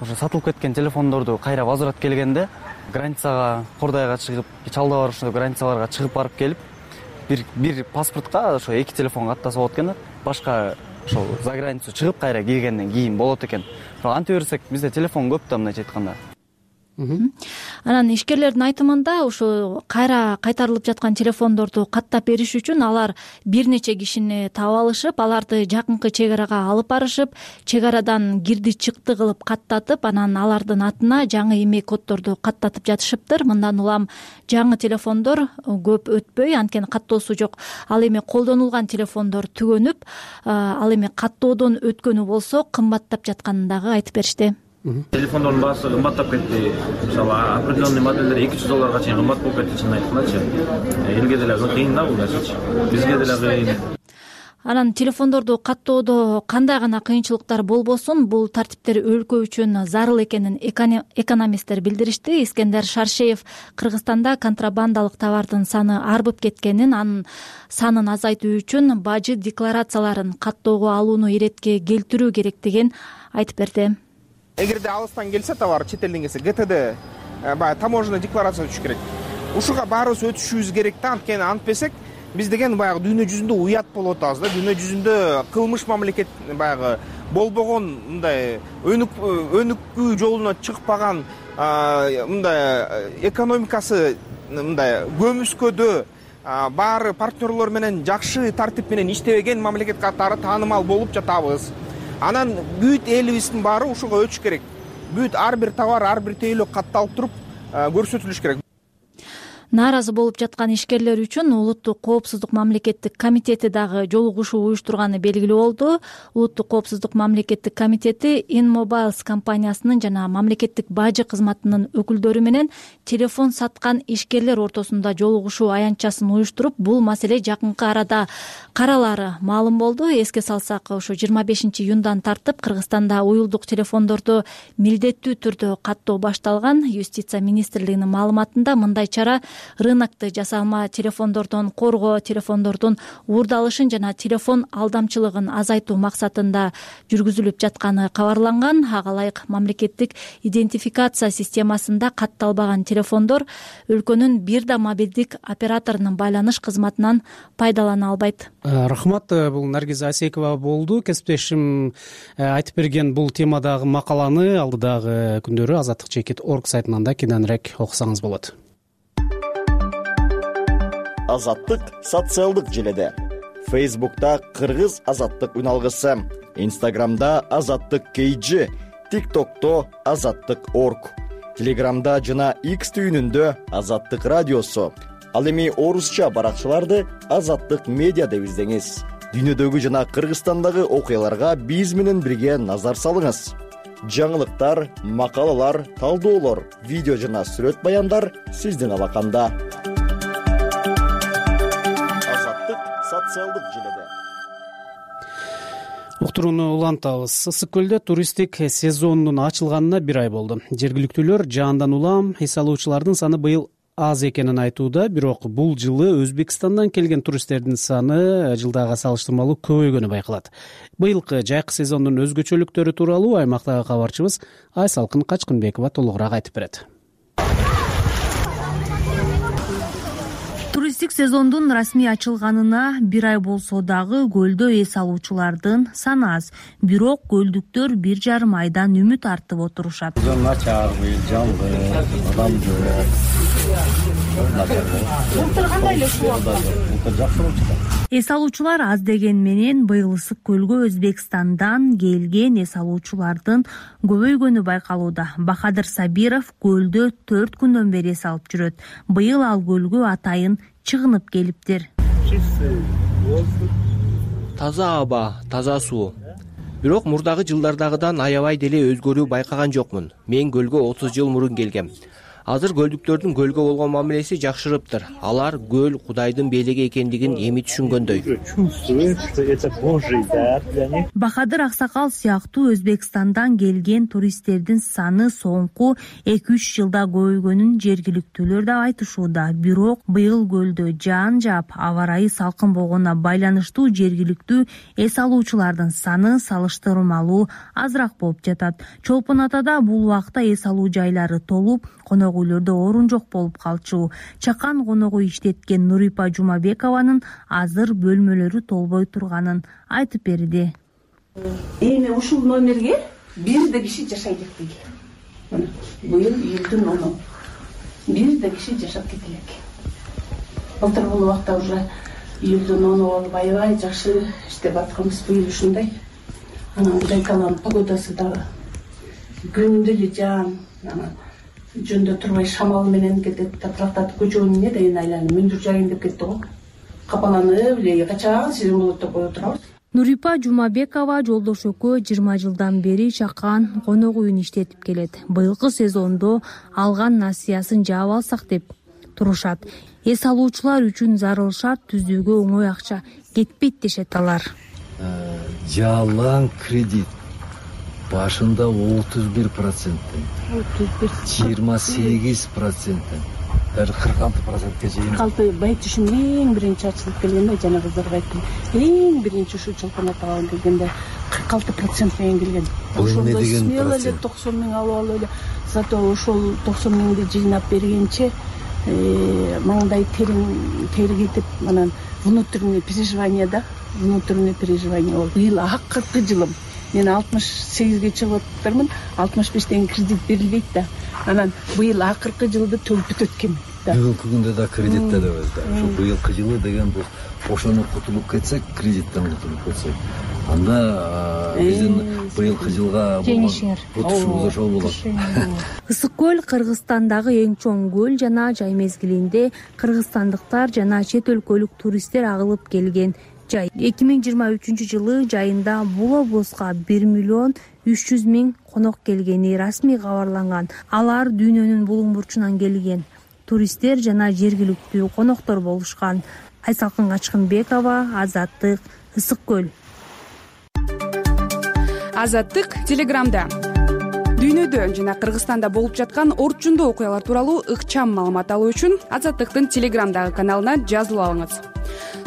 Ошо сатылып кеткен телефондорду кайра возврат келгенде границага, Кордайга чыгып, Чалда бар ошондой границаларга чыгып барып келип, бир бир паспортко ошо эки телефон каттаса болот экен. Башка ошол за границу чыгып кайра киргенден кийин болот экен. Анте берсек бизде телефон көп да, мындайча айтканда. Анан ишкерлердин айтымында ушу кайра кайтарылып жаткан телефондорду каттап бериш үчүн алар бир нече кишини таап алышып, аларды жакынкы чек арага алып барышып, чек арадан кирди чыкты кылып каттатып, анан алардын атына жаңы имей коддорду каттатып жатышыптыр. Мындан улам жаңы телефондор көп өтпөй, анткени каттоосу жок. Ал эми колдонулган телефондор түгөнүп, ал эми каттоодон өткөнү болсо кымбаттап жатканын дагы айтып беришти. Телефондордун баасы кымбаттап кетти. Мисалы определенный модельдер эки жүз долларга чейин кымбат болуп кетти, чынын айткандачы. Элге деле кыйын да бул нерсечи. Бизге деле кыйын. Анан телефондорду каттоодо кандай гана кыйынчылыктар болбосун, бул тартиптер өлкө үчүн зарыл экенин экономисттер билдиришти. Искендер Шаршеев Кыргызстанда контрабандалык товардын саны арбып кеткенин, анын санын азайтуу үчүн бажы декларацияларын каттоого алууну иретке келтирүү керектигин айтып берди. Эгерде алыстан келсе товар, чет элден келсе, ГТД баягы таможенный декларация өтүш керек. Ушуга баарыбыз өтүшүбүз керек да, анткени антпесек биз деген баягы дүйнө жүзүндө уят болуп атабыз да. Дүйнө жүзүндө кылмыш мамлекет баягы болбогон, мындай өнүк өнүкүү жолуна чыкпаган, мындай экономикасы мындай көмүскөдө баары партнерлор менен жакшы тартип менен иштебеген мамлекет катары таанымал болуп жатабыз. Анан бүт элибиздин баары ушуга өтүш керек. Бүт ар бир товар, ар бир тейлөө катталып туруп көрсөтүлүш керек. Нааразы болуп жаткан ишкерлер үчүн Улуттук коопсуздук мамлекеттик комитети дагы жолугушуу уюштурганы белгилүү болду. Улуттук коопсуздук мамлекеттик комитети InMobiles компаниясынын жана мамлекеттик бажы кызматынын өкүлдөрү менен телефон саткан ишкерлер ортосунда жолугушуу аянтчасын уюштуруп, бул маселе жакынкы арада каралары маалым болду. Эске салсак, ошо жыйырма бешинчи июндан тартып Кыргызстанда уюлдук телефондорду милдеттүү түрдө каттоо башталган. Юстиция министрлигинин маалыматында мындай чара рынокту жасалма телефондордон коргоо, телефондордун уурдалышын жана телефон алдамчылыгын азайтуу максатында жүргүзүлүп жатканы кабарланган. Ага ылайык мамлекеттик идентификация системасында катталбаган телефондор өлкөнүн бир да мобилдик операторунун байланыш кызматынан пайдалана албайт. Рахмат, бул Наргиз Асекова болду. Кесиптешим айтып берген бул темадагы макаланы алдыдагы күндөрү азаттык чекит точка орг сайтынан да кененирээк окусаңыз болот. Азаттык социалдык желеде. Фейсбукта Кыргыз азаттык үналгысы, Инстаграмда Азаттык кейжи, ТикТокто Азаттык точка орг, Телеграмда жана X түйүнүндө Азаттык радиосу. Ал эми орусча баракчаларды Азаттык медиа деп издеңиз. Дүйнөдөгү жана Кыргызстандагы окуяларга биз менен бирге назар салыңыз. Жаңылыктар, макалалар, талдоолор, видео жана сүрөт баяндар сиздин алаканда. Азаттык социалдык желеде. Уктурууну улантабыз. Ысык көлдө туристтик сезонунун ачылганына бир ай болду. Жергиликтүүлөр жаандан улам эс алуучулардын саны быйыл аз экенин айтууда, бирок бул жылы Өзбекстандан келген туристтердин саны жылдагыга салыштырмалуу көбөйгөнү байкалат. Быйылкы жайкы сезондун өзгөчөлүктөрү тууралуу аймактагы кабарчыбыз Айсалкын Качкынбекова толугураак айтып берет. Туристтик сезондун расмий ачылганына бир ай болсо дагы көлдө эс алуучулардын саны аз. Бирок көлдүктөр бир жарым айдан үмүт артып отурушат. Начар, жаңгы, адам Эс алуучулар аз деген менен быйыл ысык көлгө Өзбекстандан келген эс алуучулардын көбөйгөнү байкалууда. Бахадыр Сабиров көлдө төрт күндөн бери эс алып жүрөт. Быйыл ал көлгө атайын чыгынып келиптир. Таза аба, таза суу. Бирок мурдагы жылдардагыдан аябай деле өзгөрүү байкаган жокмун. Мен көлгө отуз жыл мурун келгем. Азыр көлдүктөрдүн көлгө болгон мамилеси жакшырыптыр. Алар көл Кудайдын белеги экендигин эми түшүнгөндөй. Бахадыр Аксакал сыяктуу Өзбекстандан келген туристтердин саны соңку эки үч жылда көбөйгөнүн жергиликтүүлөр да айтышууда. Бирок быйыл көлдө жаан жаап, аба ырайы салкын болгонуна байланыштуу жергиликтүү эс алуучулардын саны салыштырмалуу азыраак болуп жатат. Чолпон Атада бул убакта эс алуу жайлары толуп, конок үйлөрдө орун жок болуп калчу. Чакан конок үй иштеткен Нурипа Жумабекованын азыр бөлмөлөрү толбой турганын айтып берди. Эми ушул номерге бир да киши жашай элек дейли. Мына быйыл июлдун оны бир да киши жашап кетелек. Былтыр бул убакта уже июлдун оны болуп аябай жакшы иштеп атканбыз. Быйыл ушундай. Анан Кудайкаланын погодасы дагы күндү эле жаан, жөндө турбай шамал менен кетет. Тапырактатып көчөнүн эмне дейин айланып мүндүр жайын деп кетти го. Капаланып эле качан сезим болот деп кое турабыз. Нурипа Жумабекова жолдош экөө жыйырма жылдан бери Чакан конок үйүн иштетип келет. Быйылкы сезондо алган насыясын жаап алсак деп турушат. Эс алуучулар үчүн зарыл шарт түзүүгө оңой акча кетпейт дешет алар. Жалаң кредит башында отуз бир проценттен, жыйырма сегиз проценттен, даже кырк алты процентке чейин. кырк алты байт түшүм эң биринчи ачылып келгенде жана кыздарга айттым. Эң биринчи ушул Чолпон Атага келгенде кырк алты процент менен келген. Ошондо смело эле токсон миң алып алып эле. Зато ошол токсон миңди жыйнап бергенче маңдай терин тери кетип, анан внутренний переживание да, внутренний переживание болду. Быйыл акыркы жылым. Мен алтымыш сегизге чыгып атырмын, алтымыш бештен кредит берилбейт да. Анан быйыл акыркы жылды төлөп өткөм. Бүгүнкү күндө да кредитте дебиз да. Ошо быйылкы жылы деген бул ошону кутулуп кетсек, кредиттен кутулуп кетсек, анда биздин быйылкы жылга отушубуз ошол болот. Ысык көл Кыргызстандагы эң чоң көл жана жай мезгилинде кыргызстандыктар жана чет өлкөлүк туристтер агылып келген жай. эки миң жыйырма үчүнчү жылы жайында бул облуска бир миллион үч жүз миң конок келгени расмий кабарланган. Алар дүйнөнүн булуң бурчунан келген туристтер жана жергиликтүү коноктор болушкан. Айсалкын Качкынбекова, Азаттык, Ысык көл. Азаттык Телеграмда дүйнөдө жана Кыргызстанда болуп жаткан орчундуу окуялар тууралуу ыкчам маалымат алуу үчүн Азаттыктын Телеграмдагы каналына жазылып алыңыз.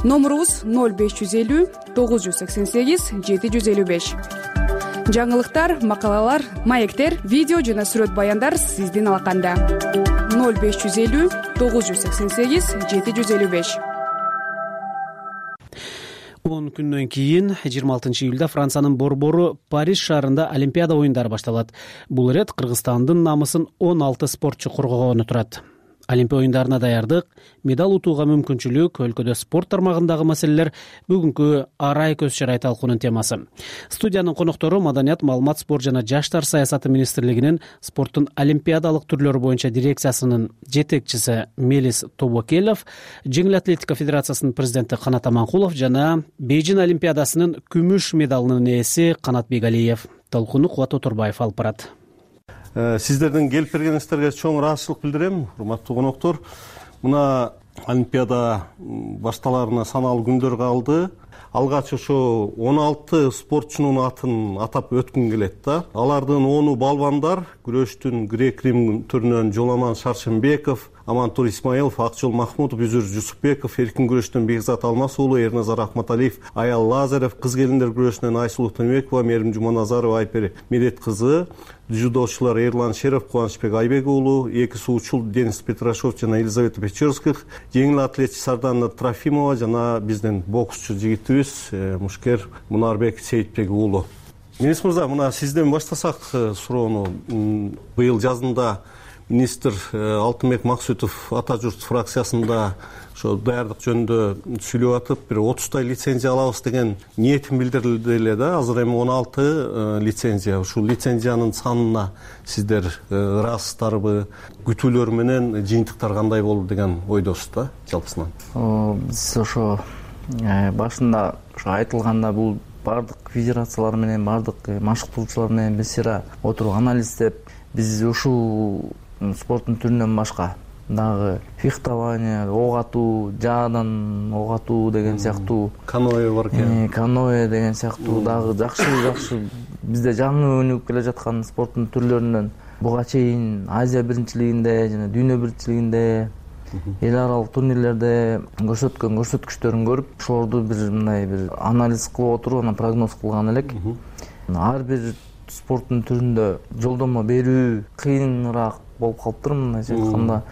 Номурубуз ноль беш жүз элүү тогуз жүз сексен сегиз жети жүз элүү беш. Жаңылыктар, макалалар, маектер, видео жана сүрөт баяндар сиздин алаканда. ноль беш жүз элүү тогуз жүз сексен сегиз жети жүз элүү беш. он күндөн кийин жыйырма алтынчы июлда Франциянын борбору Париж шаарында Олимпиада оюндары башталат. Бул ирет Кыргызстандын намысын он алты спортчу коргогону турат. Олимпия оюндарына даярдык, медаль утууга мүмкүнчүлүк, өлкөдө спорт тармагындагы маселелер бүгүнкү арай көз чарай талкуунун темасы. Студиянын коноктору Маданият, маалымат, спорт жана жаштар саясаты министрлигинин спорттун олимпиадалык түрлөрү боюнча дирекциясынын жетекчиси Мелис Тобокелов, жеңил атлетика федерациясынын президенти Канат Аманкулов жана Бейжин олимпиадасынын күмүш медалынын ээси Канат Бегалиев. Талкууну Кубат Оторбаев алып барат. Сиздердин келип бергениңиздерге чоң ыраазычылык билдирем, урматтуу коноктор. Мына Олимпиада башталарына саналуу күндөр калды. Алгач ошо он алты спортчунун атын атап өткүм келет да. Алардын ону балбандар, күрөштүн грек-рим түрүнөн Жоламан Шаршембеков, Амантур Исмаилов, Акжол Махмутов, Үзүр Жусупбеков, эркин күрөштөн Бекзат Алмаз уулу, Эрназар Акматалиев, Аял Лазарев, кыз келиндер күрөшүнөн Айсулуу Тыныбекова, Мерим Жуманазарова, Айпер Медет кызы, дзюдочулар Эрлан Шеров, Кубанычбек Айбек уулу, эки суучул Денис Петрашов жана Елизавета Печерских, жеңил атлетчи Сардана Трофимова жана биздин боксчу жигитибиз Мушкер Мунарбек Сейитбек уулу. Министр мырза, мына сизден баштасак суроону. Быйыл жазында министр Алтынбек Максутов Ата журт фракциясында ошо даярдык жөнүндө сүйлөп атып, бир отуздай лицензия алабыз деген ниетин билдирди эле да. Азыр эми он алты лицензия. Ушул лицензиянын санына сиздер ыраазсыздарбы, күтүүлөр менен жыйынтыктар кандай болду деген ойдосуз да жалпысынан? Биз ошо башында ошо айтылганда бул баардык федерациялар менен, баардык машыктоочулар менен биз сыйра отуруп анализдеп, биз ушул спорттун түрүнөн башка дагы фехтование, ок атуу, жаадан ок атуу деген сыяктуу, каноэ бар экен. Каноэ деген сыяктуу дагы жакшы жакшы бизде жаңы өнүгүп келе жаткан спорттун түрлөрүнөн буга чейин Азия биринчилигинде жана дүйнө биринчилигинде эл аралык турнирлерде көрсөткөн көрсөткүчтөрүн көрүп, ошолорду бир мындай бир анализ кылып отуруп, анан прогноз кылган элек. Ар бир спорттун түрүндө жолдомо берүү кыйыныраак болуп калыптыр, мындайча айтканда.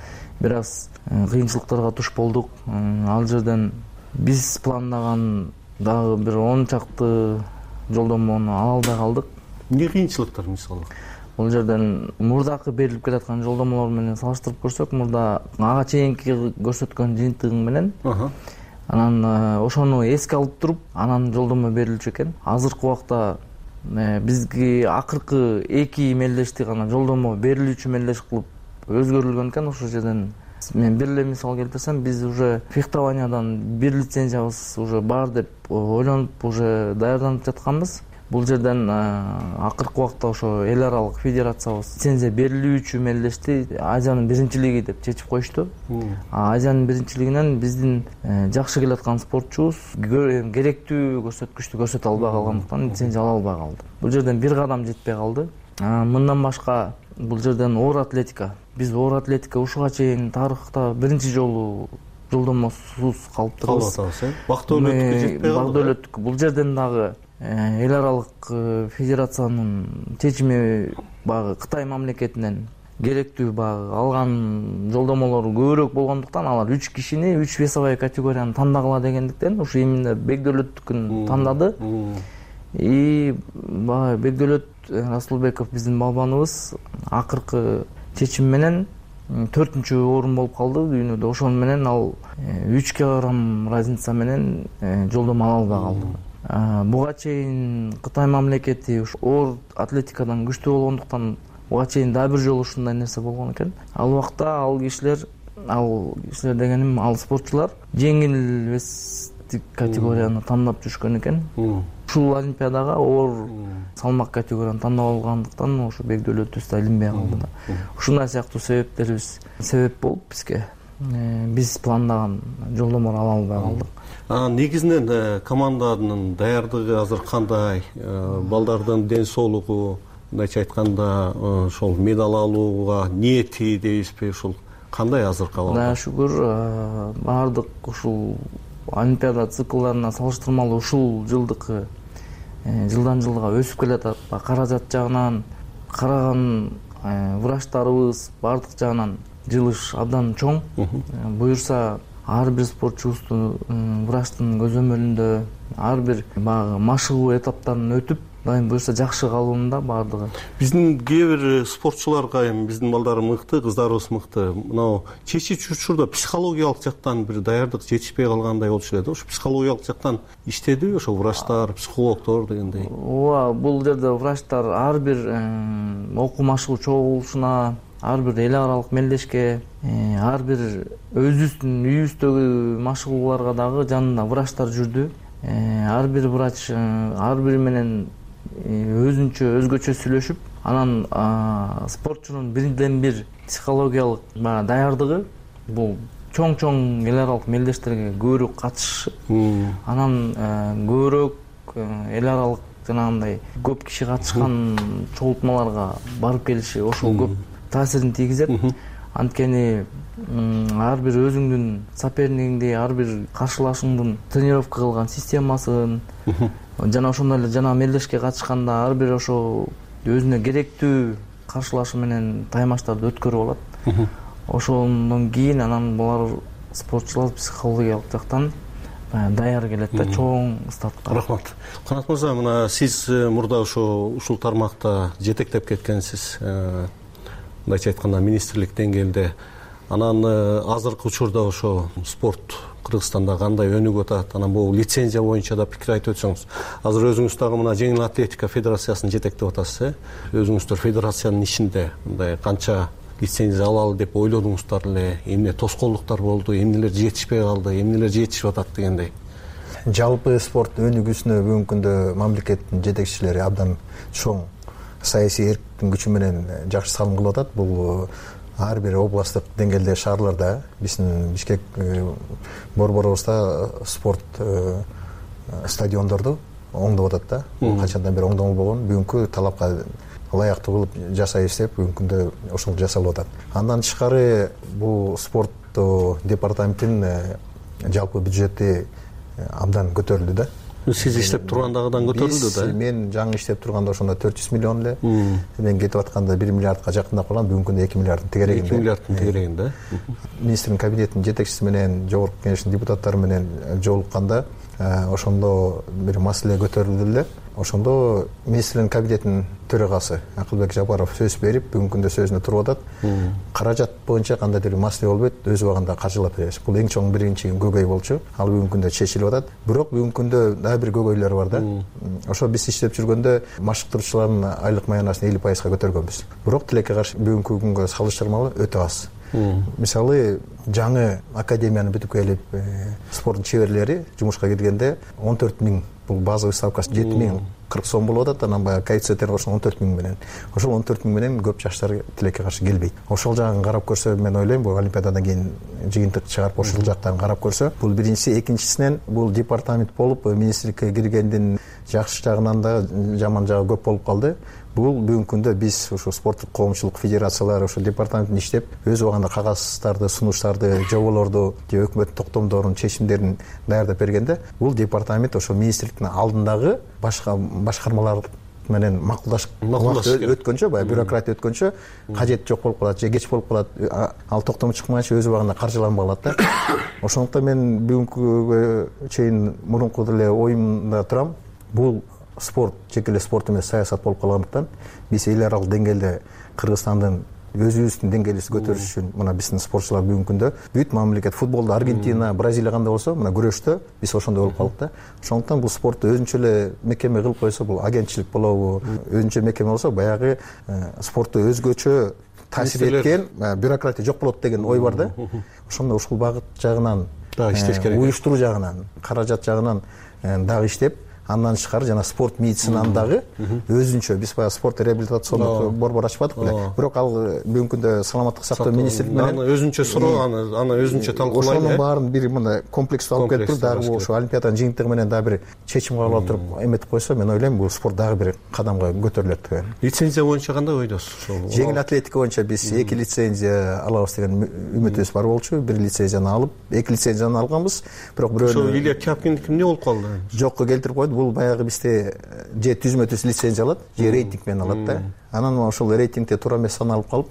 Бир аз кыйынчылыктарга туш болдук. Ал жерден биз пландаган дагы бир он чакты жолдомону ала албай калдык. Эмне кыйынчылыктар мисалы? Бул жерден мурдакы берилип келаткан жолдомолор менен салыштырып көрсөк, мурда ага чейинки көрсөткөн жыйынтыгың менен анан ошону эске алып туруп, анан жолдомо берилчү экен. Азыркы убакта бизге акыркы эки мелдешти гана жолдомо берилүүчү мелдеш кылып өзгөрүлгөн экен. Ошол жерден мен бир эле мисал келтирсем, биз уже фехтованиядан бир лицензиябыз уже бар деп ойлонуп уже даярданып жатканбыз. Бул жерден акыркы убакта ошо эл аралык федерациябыз лицензия берилүүчү мелдешти Азиянын биринчилиги деп чечип коюшту. Азиянын биринчилигинен биздин жакшы келаткан спортчубуз керектүү көрсөткүчтү көрсөтө албай калгандыктан лицензия ала албай калды. Бул жерден бир кадам жетпей калды. Мындан башка бул жерден оор атлетика. Биз оор атлетика ушуга чейин тарыхта биринчи жолу жолдомосуз калыптырбыз. Бактөөлөттүккө жетпей калды. Бактөөлөттүк. Бул жерден дагы эл аралык федерациянын чечими баягы Кытай мамлекетинен керектүү баягы алган жолдомолор көбүрөөк болгондуктан алар үч кишини үч весовой категорияны тандагыла дегендиктен ушу именно Бекдөлөттүкүн тандады. И баягы Бекдөлөт Расулбеков биздин балбаныбыз акыркы чечим менен төртүнчү орун болуп калды дүйнөдө. Ошон менен ал үч килограмм разница менен жолдомо ала албай калды. Буга чейин Кытай мамлекети оор атлетикадан күчтүү болгондуктан буга чейин дагы бир жолу ушундай нерсе болгон экен. Ал убакта ал кишилер, ал кишилер дегеним ал спортчулар жеңил вестик категорияны тандап жүрүшкөн экен. Ушул олимпиадага оор салмак категорияны тандап алгандыктан ошо Бекдөлөтүбүз да илинбей калды да. Ушундай сыяктуу себептерибиз себеп болуп бизге биз пландаган жолдомолорду ала албай калдык. Негизинен команданын даярдыгы азыр кандай? Балдардын ден соолугу, мындайча айтканда, ошол медаль алууга ниети дейбизби, ушул кандай азыркы абалда? Да, шүгүр, баардык ушул олимпиада циклдарына салыштырмалуу ушул жылдыкы жылдан жылга өсүп келатат. Каражат жагынан караган врачтарыбыз баардык жагынан жылыш абдан чоң. Буюрса ар бир спортчубуздун врачтын көзөмөлүндө ар бир баягы машыгуу этаптарын өтүп, дайым буюрса жакшы калуунда баардыгы. Биздин кээ бир спортчуларга эми биздин балдар мыкты, кыздарыбыз мыкты. Мынау чечүүчү учурда психологиялык жактан бир даярдык жетишпей калгандай болчу эле да. Ошо психологиялык жактан иштедиби ошо врачтар, психологдор дегендей? Ооба, бул жерде врачтар ар бир окуу машыгуу чогулушуна, ар бир эл аралык мелдешке, ар бир өзүбүздүн үйүбүздөгү машыгууларга дагы жанында врачтар жүрдү. Ар бир врач ар бири менен өзүнчө өзгөчө сүйлөшүп, анан спортчунун бирден бир психологиялык даярдыгы бул чоң-чоң эл аралык мелдештерге көбүрөөк катышышы, анан көбүрөөк эл аралык жанагындай көп киши катышкан чогултмаларга барып келиши ошол көп таасирин тийгизет. анткени ар бир өзүңдүн сопернигиңди, ар бир каршылашыңдын тренировка кылган системасын жана ошондой эле жана мелдешке катышканда ар бир ошо өзүнө керектүү каршылашы менен таймаштарды өткөрүп алат. Ошондон кийин анан булар спортчулар психологиялык жактан даяр келет да чоң стартка. Рахмат. Канат мырза, мына сиз мурда ошо ушул тармакта жетектеп кеткенсиз, мындайча айтканда министрлик деңгээлде. Анан азыркы учурда ошо спорт Кыргызстанда кандай өнүгүп атат, анан бул лицензия боюнча да пикир айтып өтсөңүз. Азыр өзүңүз дагы мына жеңил атлетика федерациясын жетектеп атасыз, э? Өзүңүздөр федерациянын ичинде мындай канча лицензия алалы деп ойлодуңуздар эле, эмне тоскоолдуктар болду, эмнелер жетишпей калды, эмнелер жетишип атат дегендей. Жалпы спорт өнүгүүсүнө бүгүнкү күндө мамлекеттин жетекчилери абдан чоң саясий эрктин күчү менен жакшы салым кылып атат. Бул ар бир областтык деңгээлде, шаарларда, биздин Бишкек борборубузда спорт стадиондорду оңдоп атат да. Бул качандан бери оңдолбогон, бүгүнкү талапка ылайыктуу кылып жасайбыз деп бүгүнкү күндө ошол жасалып атат. Андан тышкары бул спорт департаментинин жалпы бюджети абдан көтөрүлдү да. Сиз иштеп тургандагыдан көтөрүлдү да? Мен жаңы иштеп турганда ошондо төрт жүз миллион эле. Мен кетип атканда бир миллиардка жакындап калган, бүгүнкү күндө эки миллиарддын тегерегинде. эки миллиарддын тегерегинде. Министрдин кабинетинин жетекчиси менен, жогорку кеңештин депутаттары менен жолукканда ошондо бир маселе көтөрүлдү эле. Ошондо министрдин кабинетинин төрагасы Акылбек Жапаров сөз берип, бүгүнкү күндө сөзүнө туруп атат. Каражат боюнча кандайдыр бир маселе болбойт, өз убагында каржылап беребиз. Бул эң чоң биринчи көйгөй болчу. Ал бүгүнкү күндө чечилип атат. Бирок бүгүнкү күндө дагы бир көйгөйлөр бар да. Ошо биз иштеп жүргөндө машыктыруучулардын айлык маянасын элүү пайызга көтөргөнбүз. Бирок тилекке каршы бүгүнкү күнгө салыштырмалуу өтө аз. Мисалы, жаңы академияны бүтүп келип, спорттун чеберлери жумушка киргенде он төрт миң, бул базовый ставкасы жети миң кырк сом болуп атат, анан баягы коэффициенттер кошулган он төрт миң менен. Ошол он төрт миң менен көп жаштар тилекке каршы келбейт. Ошол жагын карап көрсө, мен ойлойм, бул олимпиададан кийин жыйынтык чыгарып ошол жактарын карап көрсө, бул биринчиси, экинчисинен бул департамент болуп министрликке киргендин жакшы жагынан да жаман жагы көп болуп калды. Бул бүгүнкү күндө биз ушу спорттук коомчулук федерациялары ушу департаментин иштеп, өз убагында кагаздарды, сунуштарды, жоболорду, же өкмөттүн токтомдорун, чечимдерин даярдап бергенде, бул департамент ошо министрликтин алдындагы башка башкармалар менен макулдашып өткөнчө, баягы бюрократия өткөнчө кажети жок болуп калат, же кеч болуп калат, ал токтому чыкмайынча өз убагында каржыланбай калат да. Ошондуктан мен бүгүнкүгө чейин мурунку деле оюмда турам, бул спорт жеке эле спорт эмес, саясат болуп калгандыктан биз эл аралык деңгээлде Кыргызстандын өзүбүздүн деңгээлибизди көтөрүш үчүн мына биздин спортчулар бүгүнкү күндө бүт мамлекет футболдо Аргентина, Бразилия кандай болсо, мына күрөштө биз ошондой болуп калдык да. Ошондуктан бул спорту өзүнчө эле мекеме кылып койсо, бул агентчилик болобу, өзүнчө мекеме болсо, баягы спортту өзгөчө таасир эткен бюрократия жок болот деген ой бар да. Ошондо ушул багыт жагынан дагы иштеш керек. Уюштуруу жагынан, каражат жагынан дагы иштеп, андан тышкары жана спорт медицинаны дагы өзүнчө биз баягы спорт реабилитациондук борбор ачпадык беле. Бирок ал бүгүнкү күндө саламаттык сактоо министрлиги менен аны өзүнчө суроо, аны аны өзүнчө талкуулайт. Ошонун баарын бир мындай комплекстүү алып келип туруп, дагы ошо олимпиаданын жыйынтыгы менен дагы бир чечим кабыл алып туруп эметип койсо, мен ойлойм, бул спорт дагы бир кадамга көтөрүлөт деген. Лицензия боюнча кандай ойдосуз? Жеңил атлетика боюнча биз эки лицензия алабыз деген үмүтүбүз бар болчу. Бир лицензияны алып, эки лицензияны алганбыз. Бирок бирөөнү ошо Илья Тяпкиндики эмне болуп калды? Жокко келтирип койду. Бул баягы бизде же түзмө түз лицензия алат, же рейтинг менен алат да. Анан ошол рейтингде туура эмес саналып калып,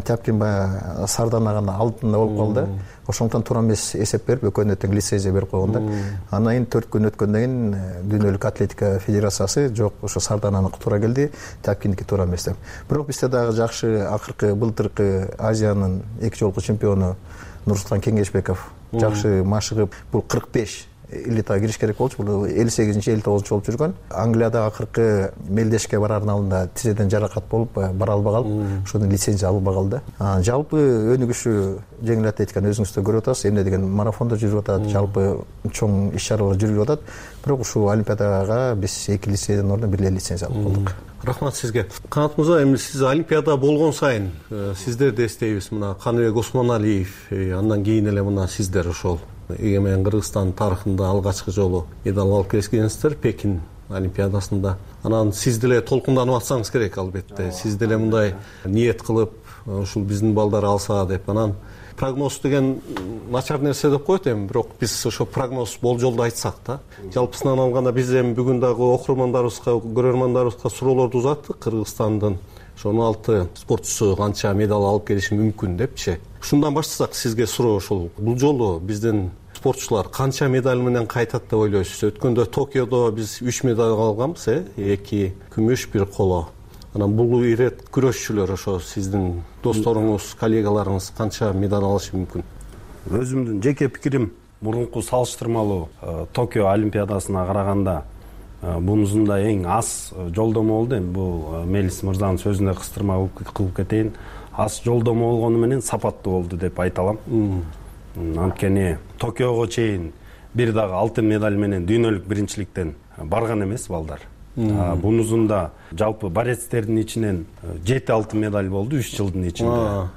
Тяпкин баягы Сарданаган алдында болуп калды. Ошондуктан туура эмес эсеп берип, экөөнүнө тең лицензия берип койгон да. Андан кийин төрт күн өткөндөн кийин Дүйнөлүк атлетика федерациясы жок, ошо Сардананыкы туура келди, Тяпкиндики туура эмес деп. Бирок бизде дагы жакшы акыркы былтыркы Азиянын эки жолку чемпиону Нурсултан Кеңешбеков жакшы машыгып, бул кырк беш элитага кириш керек болчу. Бул элүү сегизинчи элүү тогузунчу болуп жүргөн. Англияда акыркы мелдешке барардын алдында тизеден жаракат болуп бара албай калып, ошондон лицензия алынбай калды. Жалпы өнүгүшү жеңил атлетиканы өзүңүз да көрүп атасыз. Эмне деген марафондо жүрүп атат, жалпы чоң иш-чаралар жүрүп атат. Бирок ушул олимпиадага биз эки лицензиянын ордуна бир эле лицензия алып калдык. Рахмат сизге. Канат мырза, эми сиз олимпиада болгон сайын сиздерди эстейбиз. Мына Каныбек Осмоналиев, андан кийин эле мына сиздер ошол эгемен Кыргызстан тарыхында алгачкы жолу медаль алып келгенсиздер. Пекин олимпиадасында. Анан сиз деле толкунданып атсаңыз керек албетте. Сиз деле мындай ниет кылып, ушул биздин балдар алса деп. Анан прогноз деген начар нерсе деп коет эми, бирок биз ошо прогноз болжолду айтсак да, жалпысынан алганда биз эми бүгүн дагы окурмандарыбызга, көрөрмандарыбызга суроолорду узаттык. Кыргызстандын ошо он алты спортчусу канча медаль алып келиши мүмкүн депчи. Ушундан баштасак, сизге суроо ушул. Бул жолу биздин спортчулар канча медаль менен кайтат деп ойлойсуз? Өткөндө Токиодо биз үч медаль алганбыз, э, эки күмүш, бир коло. Анан бул ирет күрөшчүлөр, ошо сиздин досторуңуз, коллегаларыңыз канча медаль алышы мүмкүн? Өзүмдүн жеке пикирим, мурунку салыштырмалуу Токио олимпиадасына караганда бунусунда эң аз жолдомо болду. Эми бул Мелис мырзанын сөзүнө кыстырма кылып кетейин. Аз жолдомо болгону менен сапаттуу болду деп айта алам. Анткени Токиого чейин бир дагы алтын медаль менен дүйнөлүк биринчиликтен барган эмес балдар. Бунусунда жалпы борецтердин ичинен жети алтын медаль болду үч жылдын ичинде.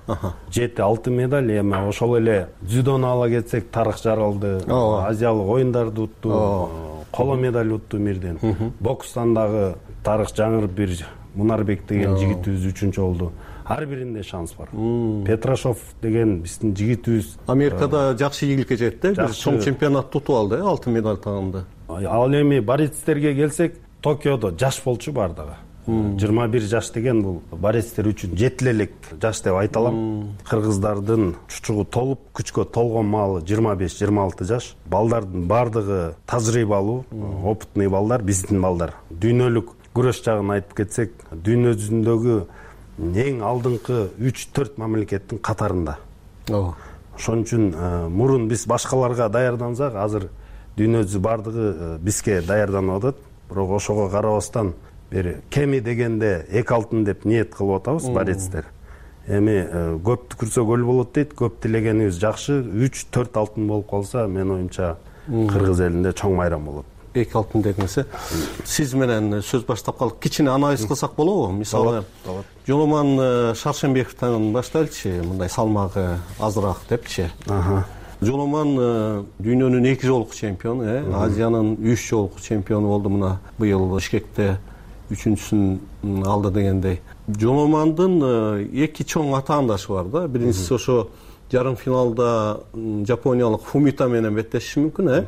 жети алтын медаль. Эми ошол эле дзюдону ала кетсек, Тарых Жаралды, Азиялык оюндарды утту, коло медаль утту мирден. Бокстан дагы Тарых Жаңыр бир Мунарбек деген жигитибиз үчүнчү болду. Ар биринде шанс бар. Петрашов деген биздин жигитибиз Америкада жакшы ийгиликке жетти, бир чоң чемпионат тутуп алды, алтын медаль тагынды. Ал эми борецтерге келсек, Токиодо жаш болчу бардыгы. жыйырма бир жаш деген бул борецтер үчүн жетилелик жаш деп айта алам. Кыргыздардын чучугу толуп, күчкө толгон маалы жыйырма беш жыйырма алты жаш. Балдардын бардыгы тажрыйбалуу, опытный балдар, биздин балдар. Дүйнөлүк күрөш жагын айтып кетсек, дүйнө жүзүндөгү эң алдыңкы үч төрт мамлекеттин катарында. Ошон үчүн мурун биз башкаларга даярдансак, азыр дүйнө жүзү бардыгы бизге даярданып атат. Бирок ошого карабастан бир кеми дегенде эки алтын деп ниет кылып атабыз борецтер. Эми көп түкүрсө көл болот дейт, көп тилегенибиз жакшы. үч төрт алтын болуп калса, мен оюмча Кыргыз элинде чоң майрам болот. эки алтын дегенсе, сиз менен сөз баштап калдык. Кичине анализ кылсак болобу? Мисалы, Жоломан Шаршембековдон баштайлычы, мындай салмагы азыраак депчи. Жоломан дүйнөнүн эки жолку чемпиону, Азиянын үч жолку чемпиону болду. Мына быйыл Бишкекте үчүнчүсүн алды дегендей. Жоломандын эки чоң атаандашы бар да. Биринчиси ошо жарым финалда жапониялык Фумита менен беттешиши мүмкүн, э?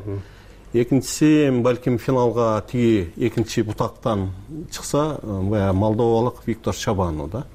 Экинчиси балким финалга тиги экинчи бутактан чыкса, баягы молдовалык Виктор Чабану да.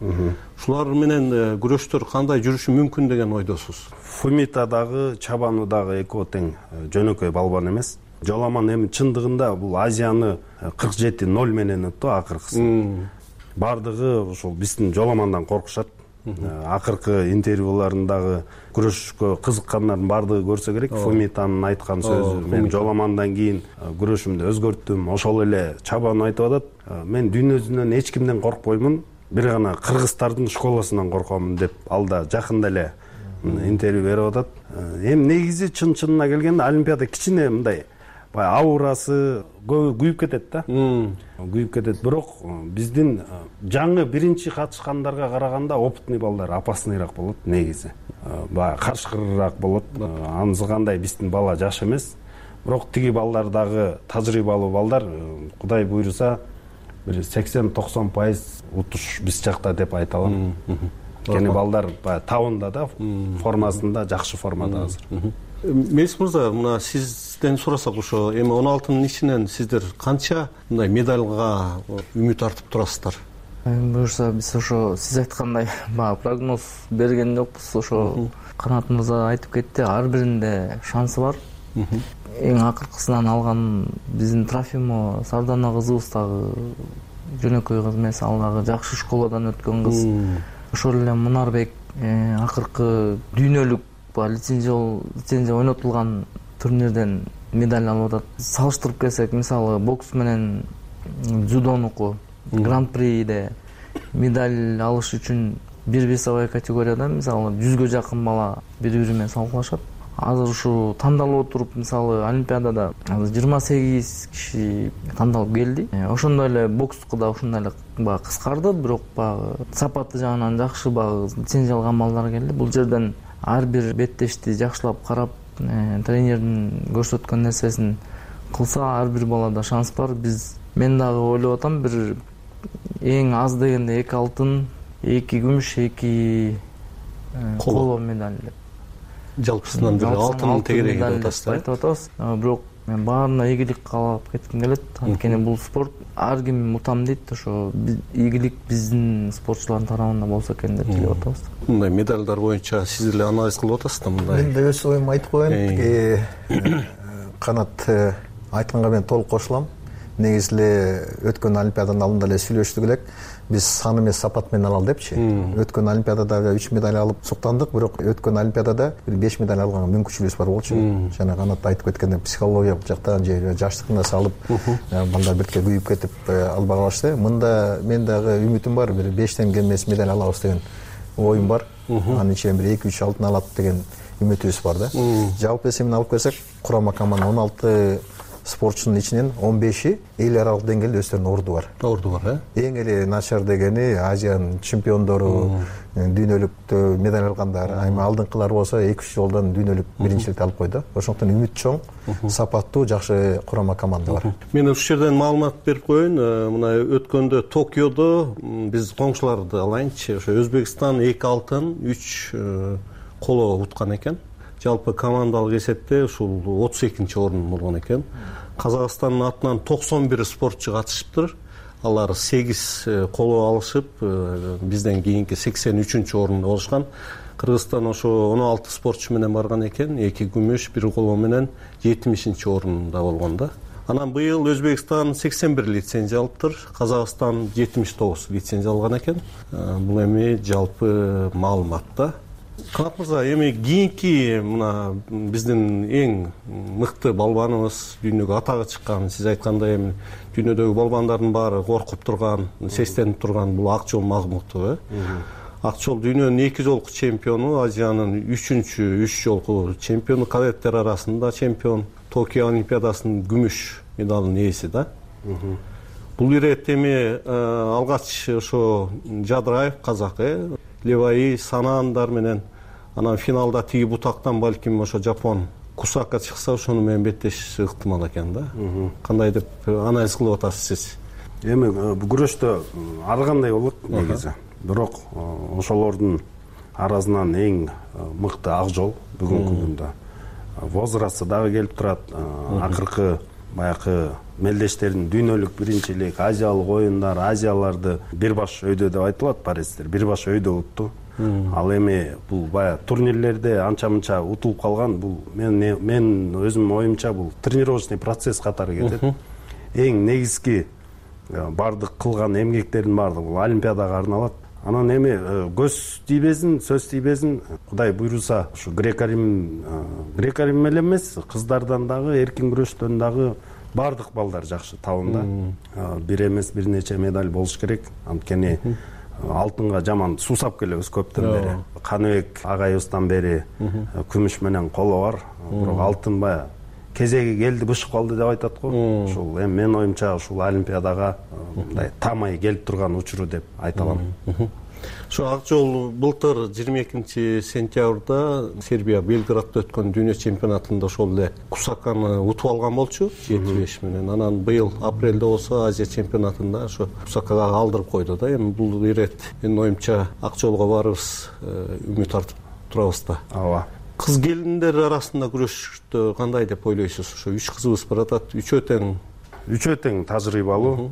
Ушулар менен күрөштөр кандай жүрүшү мүмкүн деген ойдосуз? Фумита дагы, Чабану дагы экөө тең жөнөкөй балбан эмес. Жоломан эми чындыгында бул Азияны кырк жети ноль менен утту акыркысын. Бардыгы ушул биздин Жоломандан коркушат. Акыркы интервьюларындагы күрөшкө кызыккандардын бардыгы көрсө керек. Фумитанын айткан сөзү, мен Жоломандан кийин күрөшүмдү өзгөрттүм. Ошол эле Чабану айтып атат, мен дүйнө жүзүнөн эч кимден коркпоймун, бир гана кыргыздардын школасынан коркомун деп алда жакында эле интервью берип атат. Эми негизи чын-чынына келгенде олимпиада кичине мындай аурасы күйүп кетет да. Күйүп кетет. Бирок биздин жаңы биринчи катышкандарга караганда опытный балдар опасныйраак болот негизи. Баягы карышкырыраак болот. Анзыгандай биздин бала жаш эмес. Бирок тиги балдар дагы тажрыйбалуу балдар. Кудай буйруса бир сексен токсон пайыз утуш биз жакта деп айта алам. Кени балдар баягы табында да, формасында жакшы формада азыр. Мелис мырза, мына сизден сурасак, ошо эми он алтынын ичинен сиздер канча мындай медалга үмүт артып турасыздар? Буюрса биз ошо сиз айткандай баягы прогноз берген жокпуз. Ошо Канат мырза айтып кетти, ар биринде шансы бар. Эң акыркысынан алган биздин Трофимо Сардана кызыбыз дагы жөнөкөй кыз эмес, ал дагы жакшы школадан өткөн кыз. Ошол эле Мунарбек акыркы дүйнөлүк лицензия ойнотулган турнирден медаль алып атат. Салыштырып келсек, мисалы бокс менен дзюдонуку гран-приде медаль алыш үчүн бир весовой категорияда мисалы жүзгө жакын бала бири-бири менен салгылашат. Азыр ушу тандалып отуруп, мисалы олимпиадада азыр жыйырма сегиз киши тандалып келди. Ошондой эле бокстуку да ушундай эле баягы кыскарды, бирок баягы сапаты жагынан жакшы баягы лицензия алган балдар келди. Бул жерден ар бир беттешти жакшылап карап, тренердин көрсөткөн нерсесин кылса, ар бир балада шанс бар. Биз мен дагы ойлоп атам, бир эң аз дегенде эки алтын, эки күмүш, эки коло медаль деп. Жалпысынан бир алтын тегереги деп атасыз. Айтып атабыз. Бирок мен баарына ийгилик каалап кетким келет. Анткени бул спорт ар ким утам дейт, ошо ийгилик биздин спортчулардын тарабынан болсо экен деп тилеп атабыз. Мындай медалдар боюнча сиз деле анализ кылып атасыз да мындай. Мен да өз оюмду айтып коеюн. Канат айтканга мен толук кошулам. Негизи эле өткөн олимпиаданын алдында эле сүйлөштүк элек. Биз сан эмес сапат менен алалы депчи. Өткөн олимпиадада үч медаль алып суктандык, бирок өткөн олимпиадада бир беш медаль алганга мүмкүнчүлүгүбүз бар болчу. Жана Канат айтып кеткендей психологиялык жактан же жаштыгына салып балдар бирке күйүп кетип албай калышты. Мында мен дагы үмүтүм бар, бир бештен кем эмес медаль алабыз деген оюм бар. Анын ичинен бир эки үч алтын алат деген үмүтүбүз бар да. Жалпы эсебин алып келсек, курама команда он алты спортчунун ичинен он беши эл аралык деңгээлде өздөрүнүн орду бар. Орду бар, э? Эң эле начар дегени Азиянын чемпиондору, дүйнөлүктө медаль алгандар, айма алдыңкылар болсо эки үч жолдон дүйнөлүк биринчиликти алып койду. Ошондуктан үмүт чоң, сапаттуу, жакшы курама команда бар. Мен ушул жерден маалымат берип коеюн. Мына өткөндө Токиодо биз коңшуларды алайынчы, ошо Өзбекстан эки алтын, үч коло уткан экен. Жалпы командалык эсепте ушул отуз экинчи орун болгон экен. Казакстандын атынан токсон бир спортчу катышыптыр. Алар сегиз коло алышып, бизден кийинки сексен үчүнчү орунда болушкан. Кыргызстан ошо он алты спортчу менен барган экен, эки күмүш, бир коло менен жетимишинчи орунда болгон да. Анан быйыл Өзбекстан сексен бир лицензия алыптыр, Казакстан жетимиш тогуз лицензия алган экен. Бул эми жалпы маалымат да. Канат мырза, эми кийинки мына биздин эң мыкты балбаныбыз, дүйнөгө атагы чыккан, сиз айткандай эми дүйнөдөгү балбандардын баары коркуп турган, сестенип турган бул Акжол Магмутов, э? Акжол дүйнөнүн эки жолку чемпиону, Азиянын үчүнчү үч жолку чемпиону, кадеттер арасында чемпион, Токио олимпиадасынын күмүш медалынын ээси да. Бул ирет эми алгач ошо Жадыраев казак, э? Леваи, Санаандар менен анан финалда тиги бутактан балким ошо Жапон Кусака чыкса, ошону менен беттешиши ыктымал экен да. Кандай деп анализ кылып атасыз сиз? Эми бул күрөштө ар кандай болот негизи. Бирок ошолордун арасынан эң мыкты Акжол бүгүнкү күндө. Возрасты дагы келип турат. Акыркы баягы мелдештердин дүйнөлүк биринчилик, азиялык оюндар, азияларды бир баш өйдө деп айтылат, паризтер бир баш өйдө утту. Ал эми бул баягы турнирлерде анча-мынча утулуп калган, бул мен мен өзүмдүн оюмча бул тренировочный процесс катары кетет. Эң негизги бардык кылган эмгектердин баардыгы бул олимпиадага арналат. Анан эми көз тийбесин, сөз тийбесин, Кудай буйруса, ушу греко-рим греко-рим эле эмес, кыздардан дагы, эркин күрөштөн дагы бардык балдар жакшы табында. Бир эмес, бир нече медаль болуш керек. Анткени алтынга жаман суусап келебиз көптөн бери. Каныбек агайыбыздан бери күмүш менен коло бар. Бирок алтын баягы кезеги келди, бышып калды деп айтат го. Ушул эми мен оюмча ушул олимпиадага мындай тамай келип турган учуру деп айта алам. Ошо Акжол былтыр жыйырма экинчи сентябрда Сербия Белградда өткөн дүйнө чемпионатында ошол эле Кусаканы утуп алган болчу жети беш менен. Анан быйыл апрелде болсо Азия чемпионатында ошо Кусакага алдырып койду да. Эми бул ирет менин оюмча Акжолго барыбыз үмүт артып турабыз да. Ооба. Кыз келиндер арасында күрөштө кандай деп ойлойсуз? Ошо үч кызыбыз баратат, үчөө тең үчөө тең тажрыйбалуу.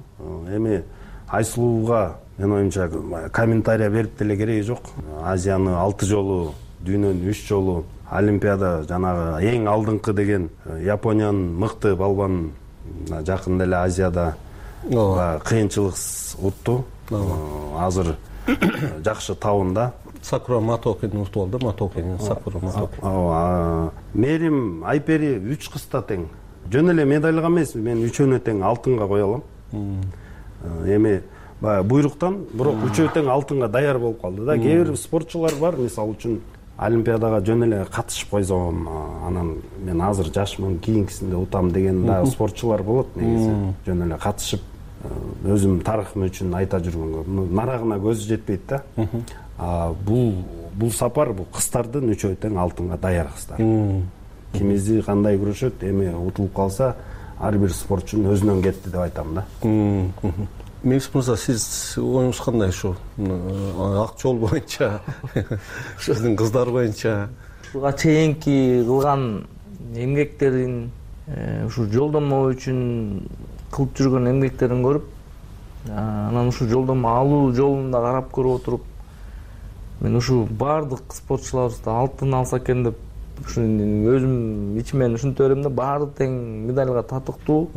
Эми Айсулууга мен оюмча комментарий берип деле кереги жок. Азияны алты жолу, дүйнөнүн үч жолу, олимпиада жанагы эң алдыңкы деген Япониянын мыкты балбанын жакында эле Азияда кыйынчылыксыз утту. Азыр жакшы табында. Сакура Матокени утуп алды, Матокени, Сакура Матокени. Ооба. Мерим Айпери үч кызда тең. Жөн эле медальга эмес, мен үчөөнө тең алтынга кое алам. Эми баягы буйруктан, бирок үчөө тең алтынга даяр болуп калды да. Кээ бир спортчулар бар, мисалы үчүн олимпиадага жөн эле катышып койсом, анан мен азыр жашмын, кийинкисинде утам деген да спортчулар болот негизи. Жөн эле катышып өзүм тарыхым үчүн айта жүргөнгө нарагына көзү жетпейт да. Бул бул сапар бул кыздардын үчөө тең алтынга даяр кыздар. Кимизи кандай күрөшөт, эми утулуп калса, ар бир спортчунун өзүнөн кетти деп айтам да. Меңиз мырза, сиз оюңуз кандай ушу ак жол боюнча, сиздин кыздар боюнча? Ушуга чейинки кылган эмгектерин, ушу жолдомо үчүн кылып жүргөн эмгектерин көрүп, анан ушу жолдомо алуу жолунда карап көрүп отуруп, мен ушу баардык спортчуларыбызды алтын алса экен деп ушу өзүм ичимен ушинте берем да, баары тең медальга татыктуу.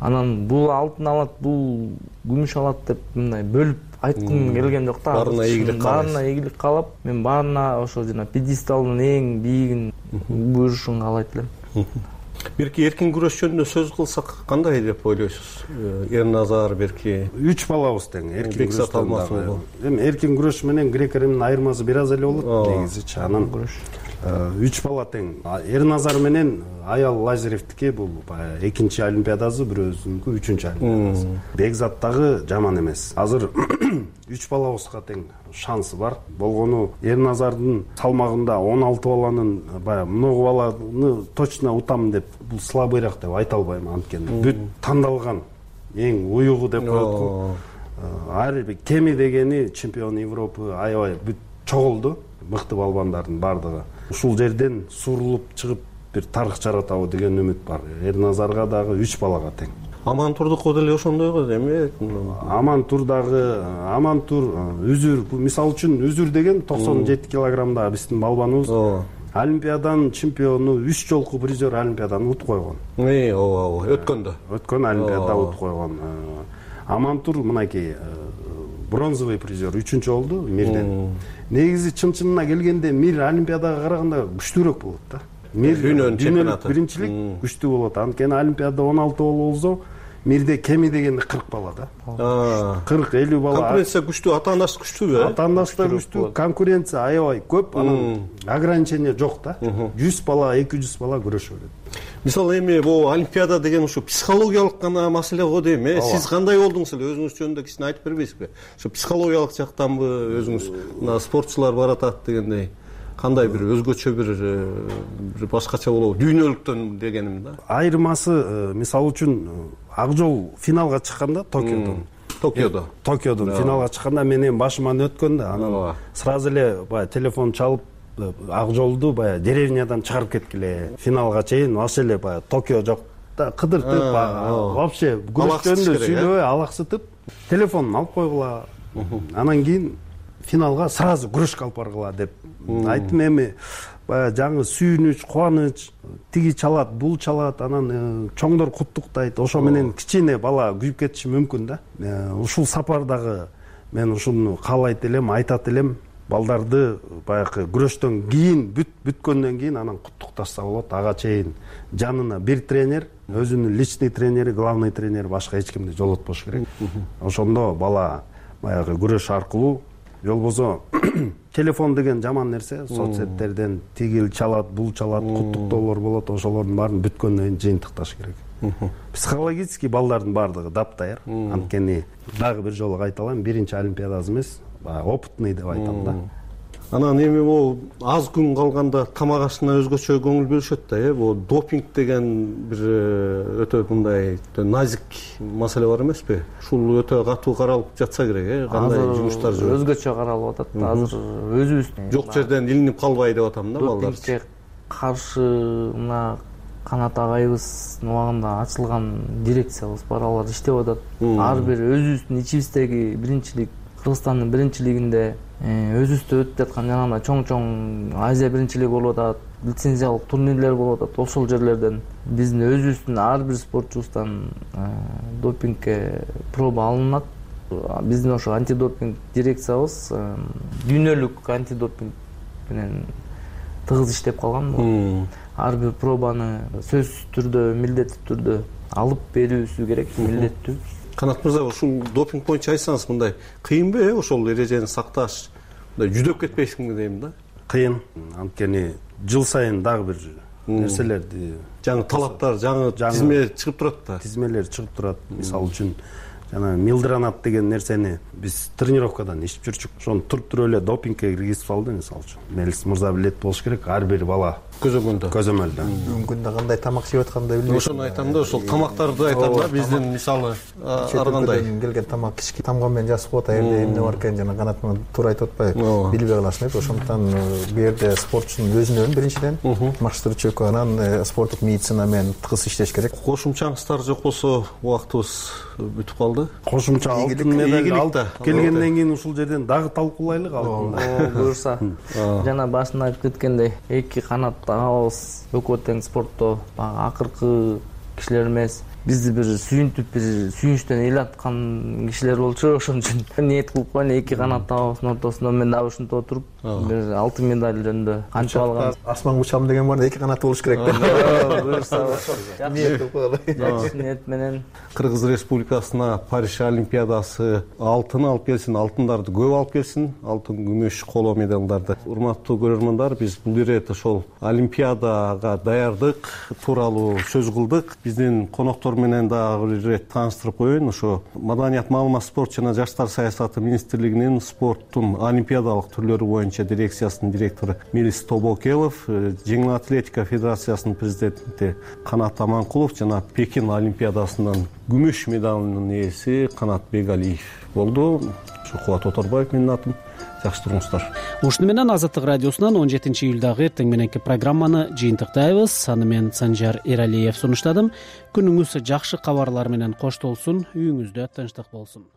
Анан бул алтын алат, бул күмүш алат деп мындай бөлүп айткым келген жок да. Баарына ийгилик каалайсыз. Баарына ийгилик каалап, мен баарына ошо жана пьедесталдын эң бийигин буйрушун каалайт элем. Берки эркин күрөш жөнүндө сөз кылсак кандай деп ойлойсуз? Эрназар берки үч балабыз тең эркин күрөштө. Эми эркин күрөш менен грек-римдин айырмасы бир аз эле болот негизичи. Анан үч бала тең. Эрназар менен аял Лазаревдики бул баягы экинчи олимпиадасы, бирөөсүнүкү үчүнчү олимпиадасы. Бекзат дагы жаман эмес. Азыр үч балабызга тең шансы бар. Болгону Эрназардын салмагында он алты баланын баягы много баланы точно утам деп бул слабыйраак деп айта албайм, анткени бүт тандалган эң уюгу деп коет. Ар кеми дегени чемпион Европы, аябай бүт чогулду, мыкты балбандардын бардыгы. Ушул жерден сурулуп чыгып бир тарых жаратабы деген үмүт бар. Эрназарга дагы үч балага тең. Амантурдуку деле ошондой го эми. Амантур дагы, Амантур үзүр, мисалы үчүн үзүр деген токсон жети килограммдагы биздин балбаныбыз. Олимпиаданын чемпиону, үч жолку призер Олимпиаданы утуп койгон. Э, ооба, ооба, өткөндө. Өткөн Олимпиада утуп койгон. Амантур мынакей бронзовый призер, үчүнчү болду мирден. Негизи чын-чынына келгенде мир Олимпиадага караганда күчтүүрөөк болот да. Мир дүйнөнүн чемпионаты. Биринчилик күчтүү болот. Анткени Олимпиада он алты болсо, мирде кеми дегенде кырк бала да. кырк элүү бала. Конкуренция күчтүү, ата-анасы күчтүүбү? Ата-анасы да күчтүү, конкуренция аябай көп, анан ограничение жок да. жүз бала, эки жүз бала күрөшө берет. Мисалы эми бул Олимпиада деген ушу психологиялык гана маселе го дейм, э? Сиз кандай болдуңуз эле, өзүңүз жөнүндө кичине айтып бербейсизби? Ушу психологиялык жактанбы өзүңүз, мына спортчулар баратат дегендей, кандай бир өзгөчө бир бир башкача болобу? Дүйнөлүктөн дегеним да. Айырмасы, мисалы үчүн ак жол финалга чыкканда Токиодон. Токиодо. Токиодон финалга чыкканда мен эми башыман өткөн да, анан сразу эле баягы телефон чалып ак жолду баягы деревнядан чыгарып кеткиле. Финалга чейин вообще эле баягы Токио жок да, кыдыртып, вообще күрөш жөнүндө сүйлөбөй, алаксытып, телефонун алып койгула. Анан кийин финалга сразу күрөшкө алып баргыла деп айттым. Эми баягы жаңы сүйүнүч, кубаныч, тиги чалат, бул чалат, анан чоңдор куттуктайт. Ошо менен кичине бала күйүп кетиши мүмкүн да. Ушул сапардагы мен ушуну каалайт элем, айтат элем. Балдарды баягы күрөштөн кийин, бүт бүткөндөн кийин анан куттукташса болот. Ага чейин жанына бир тренер, өзүнүн личный тренери, главный тренер, башка эч кимди жолотпош керек. Ошондо бала баягы күрөш аркылуу, болбосо телефон деген жаман нерсе, соцсеттерден тигил чалат, бул чалат, куттуктоолор болот, ошолордун баарын бүткөндөн кийин жыйынтыкташ керек. Психологически балдардын баардыгы даптайыр. Анткени дагы бир жолу кайталайм, биринчи олимпиадасы эмес, опытный деп айтам да. Анан эми бул аз күн калганда тамак ашына өзгөчө көңүл бөлүшөт да, э? Бул допинг деген бир өтө мындай назик маселе бар эмеспи? Ушул өтө катуу каралып жатса керек, э? Кандай жумуштар жүрөт? Өзгөчө каралып атат. Азыр өзүбүз жок жерден илинип калбай деп атам да балдар. Допингке каршы мына Канат агайыбыздын убагында ачылган дирекциябыз бар, алар иштеп атат. Ар бир өзүбүздүн ичибиздеги биринчилик, Кыргызстандын биринчилигинде өзүбүздө өтүп жаткан жана чоң-чоң Азия биринчилиги болуп атат, лицензиялык турнирлер болуп атат. Ошол жерлерден биздин өзүбүздүн ар бир спортчубуздан допингке проба алынат. Биздин ошо антидопинг дирекциябыз дүйнөлүк антидопинг менен тыгыз иштеп калган. Ар бир пробаны сөзсүз түрдө, милдеттүү түрдө алып берүүсү керек, милдеттүү. Канат мырза, ушул допинг боюнча айтсаңыз, мындай кыйынбы, э, ошол эрежени сакташ? Мындай жүдөп кетпейсиңби дейм да? Кыйын. Анткени жыл сайын дагы бир нерселерди, жаңы талаптар, жаңы тизме чыгып турат да. Тизмелер чыгып турат. Мисалы үчүн жана милдранат деген нерсени биз тренировкадан ичип жүрчүк. Ошону туруп туруп эле допингке киргизип салды, мисалы үчүн. Мелис мырза билет болуш керек, ар бир бала көзөмөлдө көзөмөлдө бүгүнкү күндө кандай тамак жеп атканын да билбейм. Ошону айтам да, ошол тамактарды айтам да. Биздин мисалы ар кандай келген тамак кички тамган менен жазып коет, аябай эмне бар экен, жана канат менен туура айтып атпайбы, билбей каласың деп. Ошондуктан бул жерде спортчунун өзүнөн биринчиден машыктырчу, анан спорттук медицина менен тыгыз иштеш керек. Кошумча аңыздар жок болсо убактыбыз бүтүп калды. Кошумча алтын медаль алып келгенден кийин ушул жерден дагы талкуулайлык алтын. Буюрса. Жана башында айтып кеткендей, эки канаттагыбыз экөө тең спортто баягы акыркы кишилер эмес. Бизди бир сүйүнтүп, бир сүйүнчтөн эл аткан кишилер болчу. Ошон үчүн ниет кылып коеюн, эки канаттагыбыздын ортосунда мен дагы ушинтип отуруп, бир алтын медаль жөнүндө кантип алган. Асман учам деген бар, эки канаты болуш керек да. Буюрса, ниет кылып коелу. Жакшы ниет менен Кыргыз Республикасына Париж Олимпиадасы алтын алып келсин, алтындарды көп алып келсин, алтын, күмүш, коло медалдарды. Урматтуу көрөрмандар, биз бул ирет ошол Олимпиадага даярдык тууралуу сөз кылдык. Биздин коноктор менен дагы бир ирет тааныштырып коеюн. Ошо Маданият, маалымат, спорт жана жаштар саясаты министрлигинин спорттун олимпиадалык түрлөрү боюнча дирекциясынын директору Мирис Тобокелов, жеңил атлетика федерациясынын президенти Канат Аманкулов жана Пекин олимпиадасынын күмүш медалынын ээси Канат Бегалиев болду. Ушу Кубат Оторбаев менин атым. Жакшы туруңуздар. Ушуну менен Азаттык радиосунан он жетинчи июлдагы эртең мененки программаны жыйынтыктайбыз. Аны мен Санжар Эралиев сунуштадым. Күнүңүз жакшы кабарлар менен коштолсун, үйүңүздө тынчтык болсун.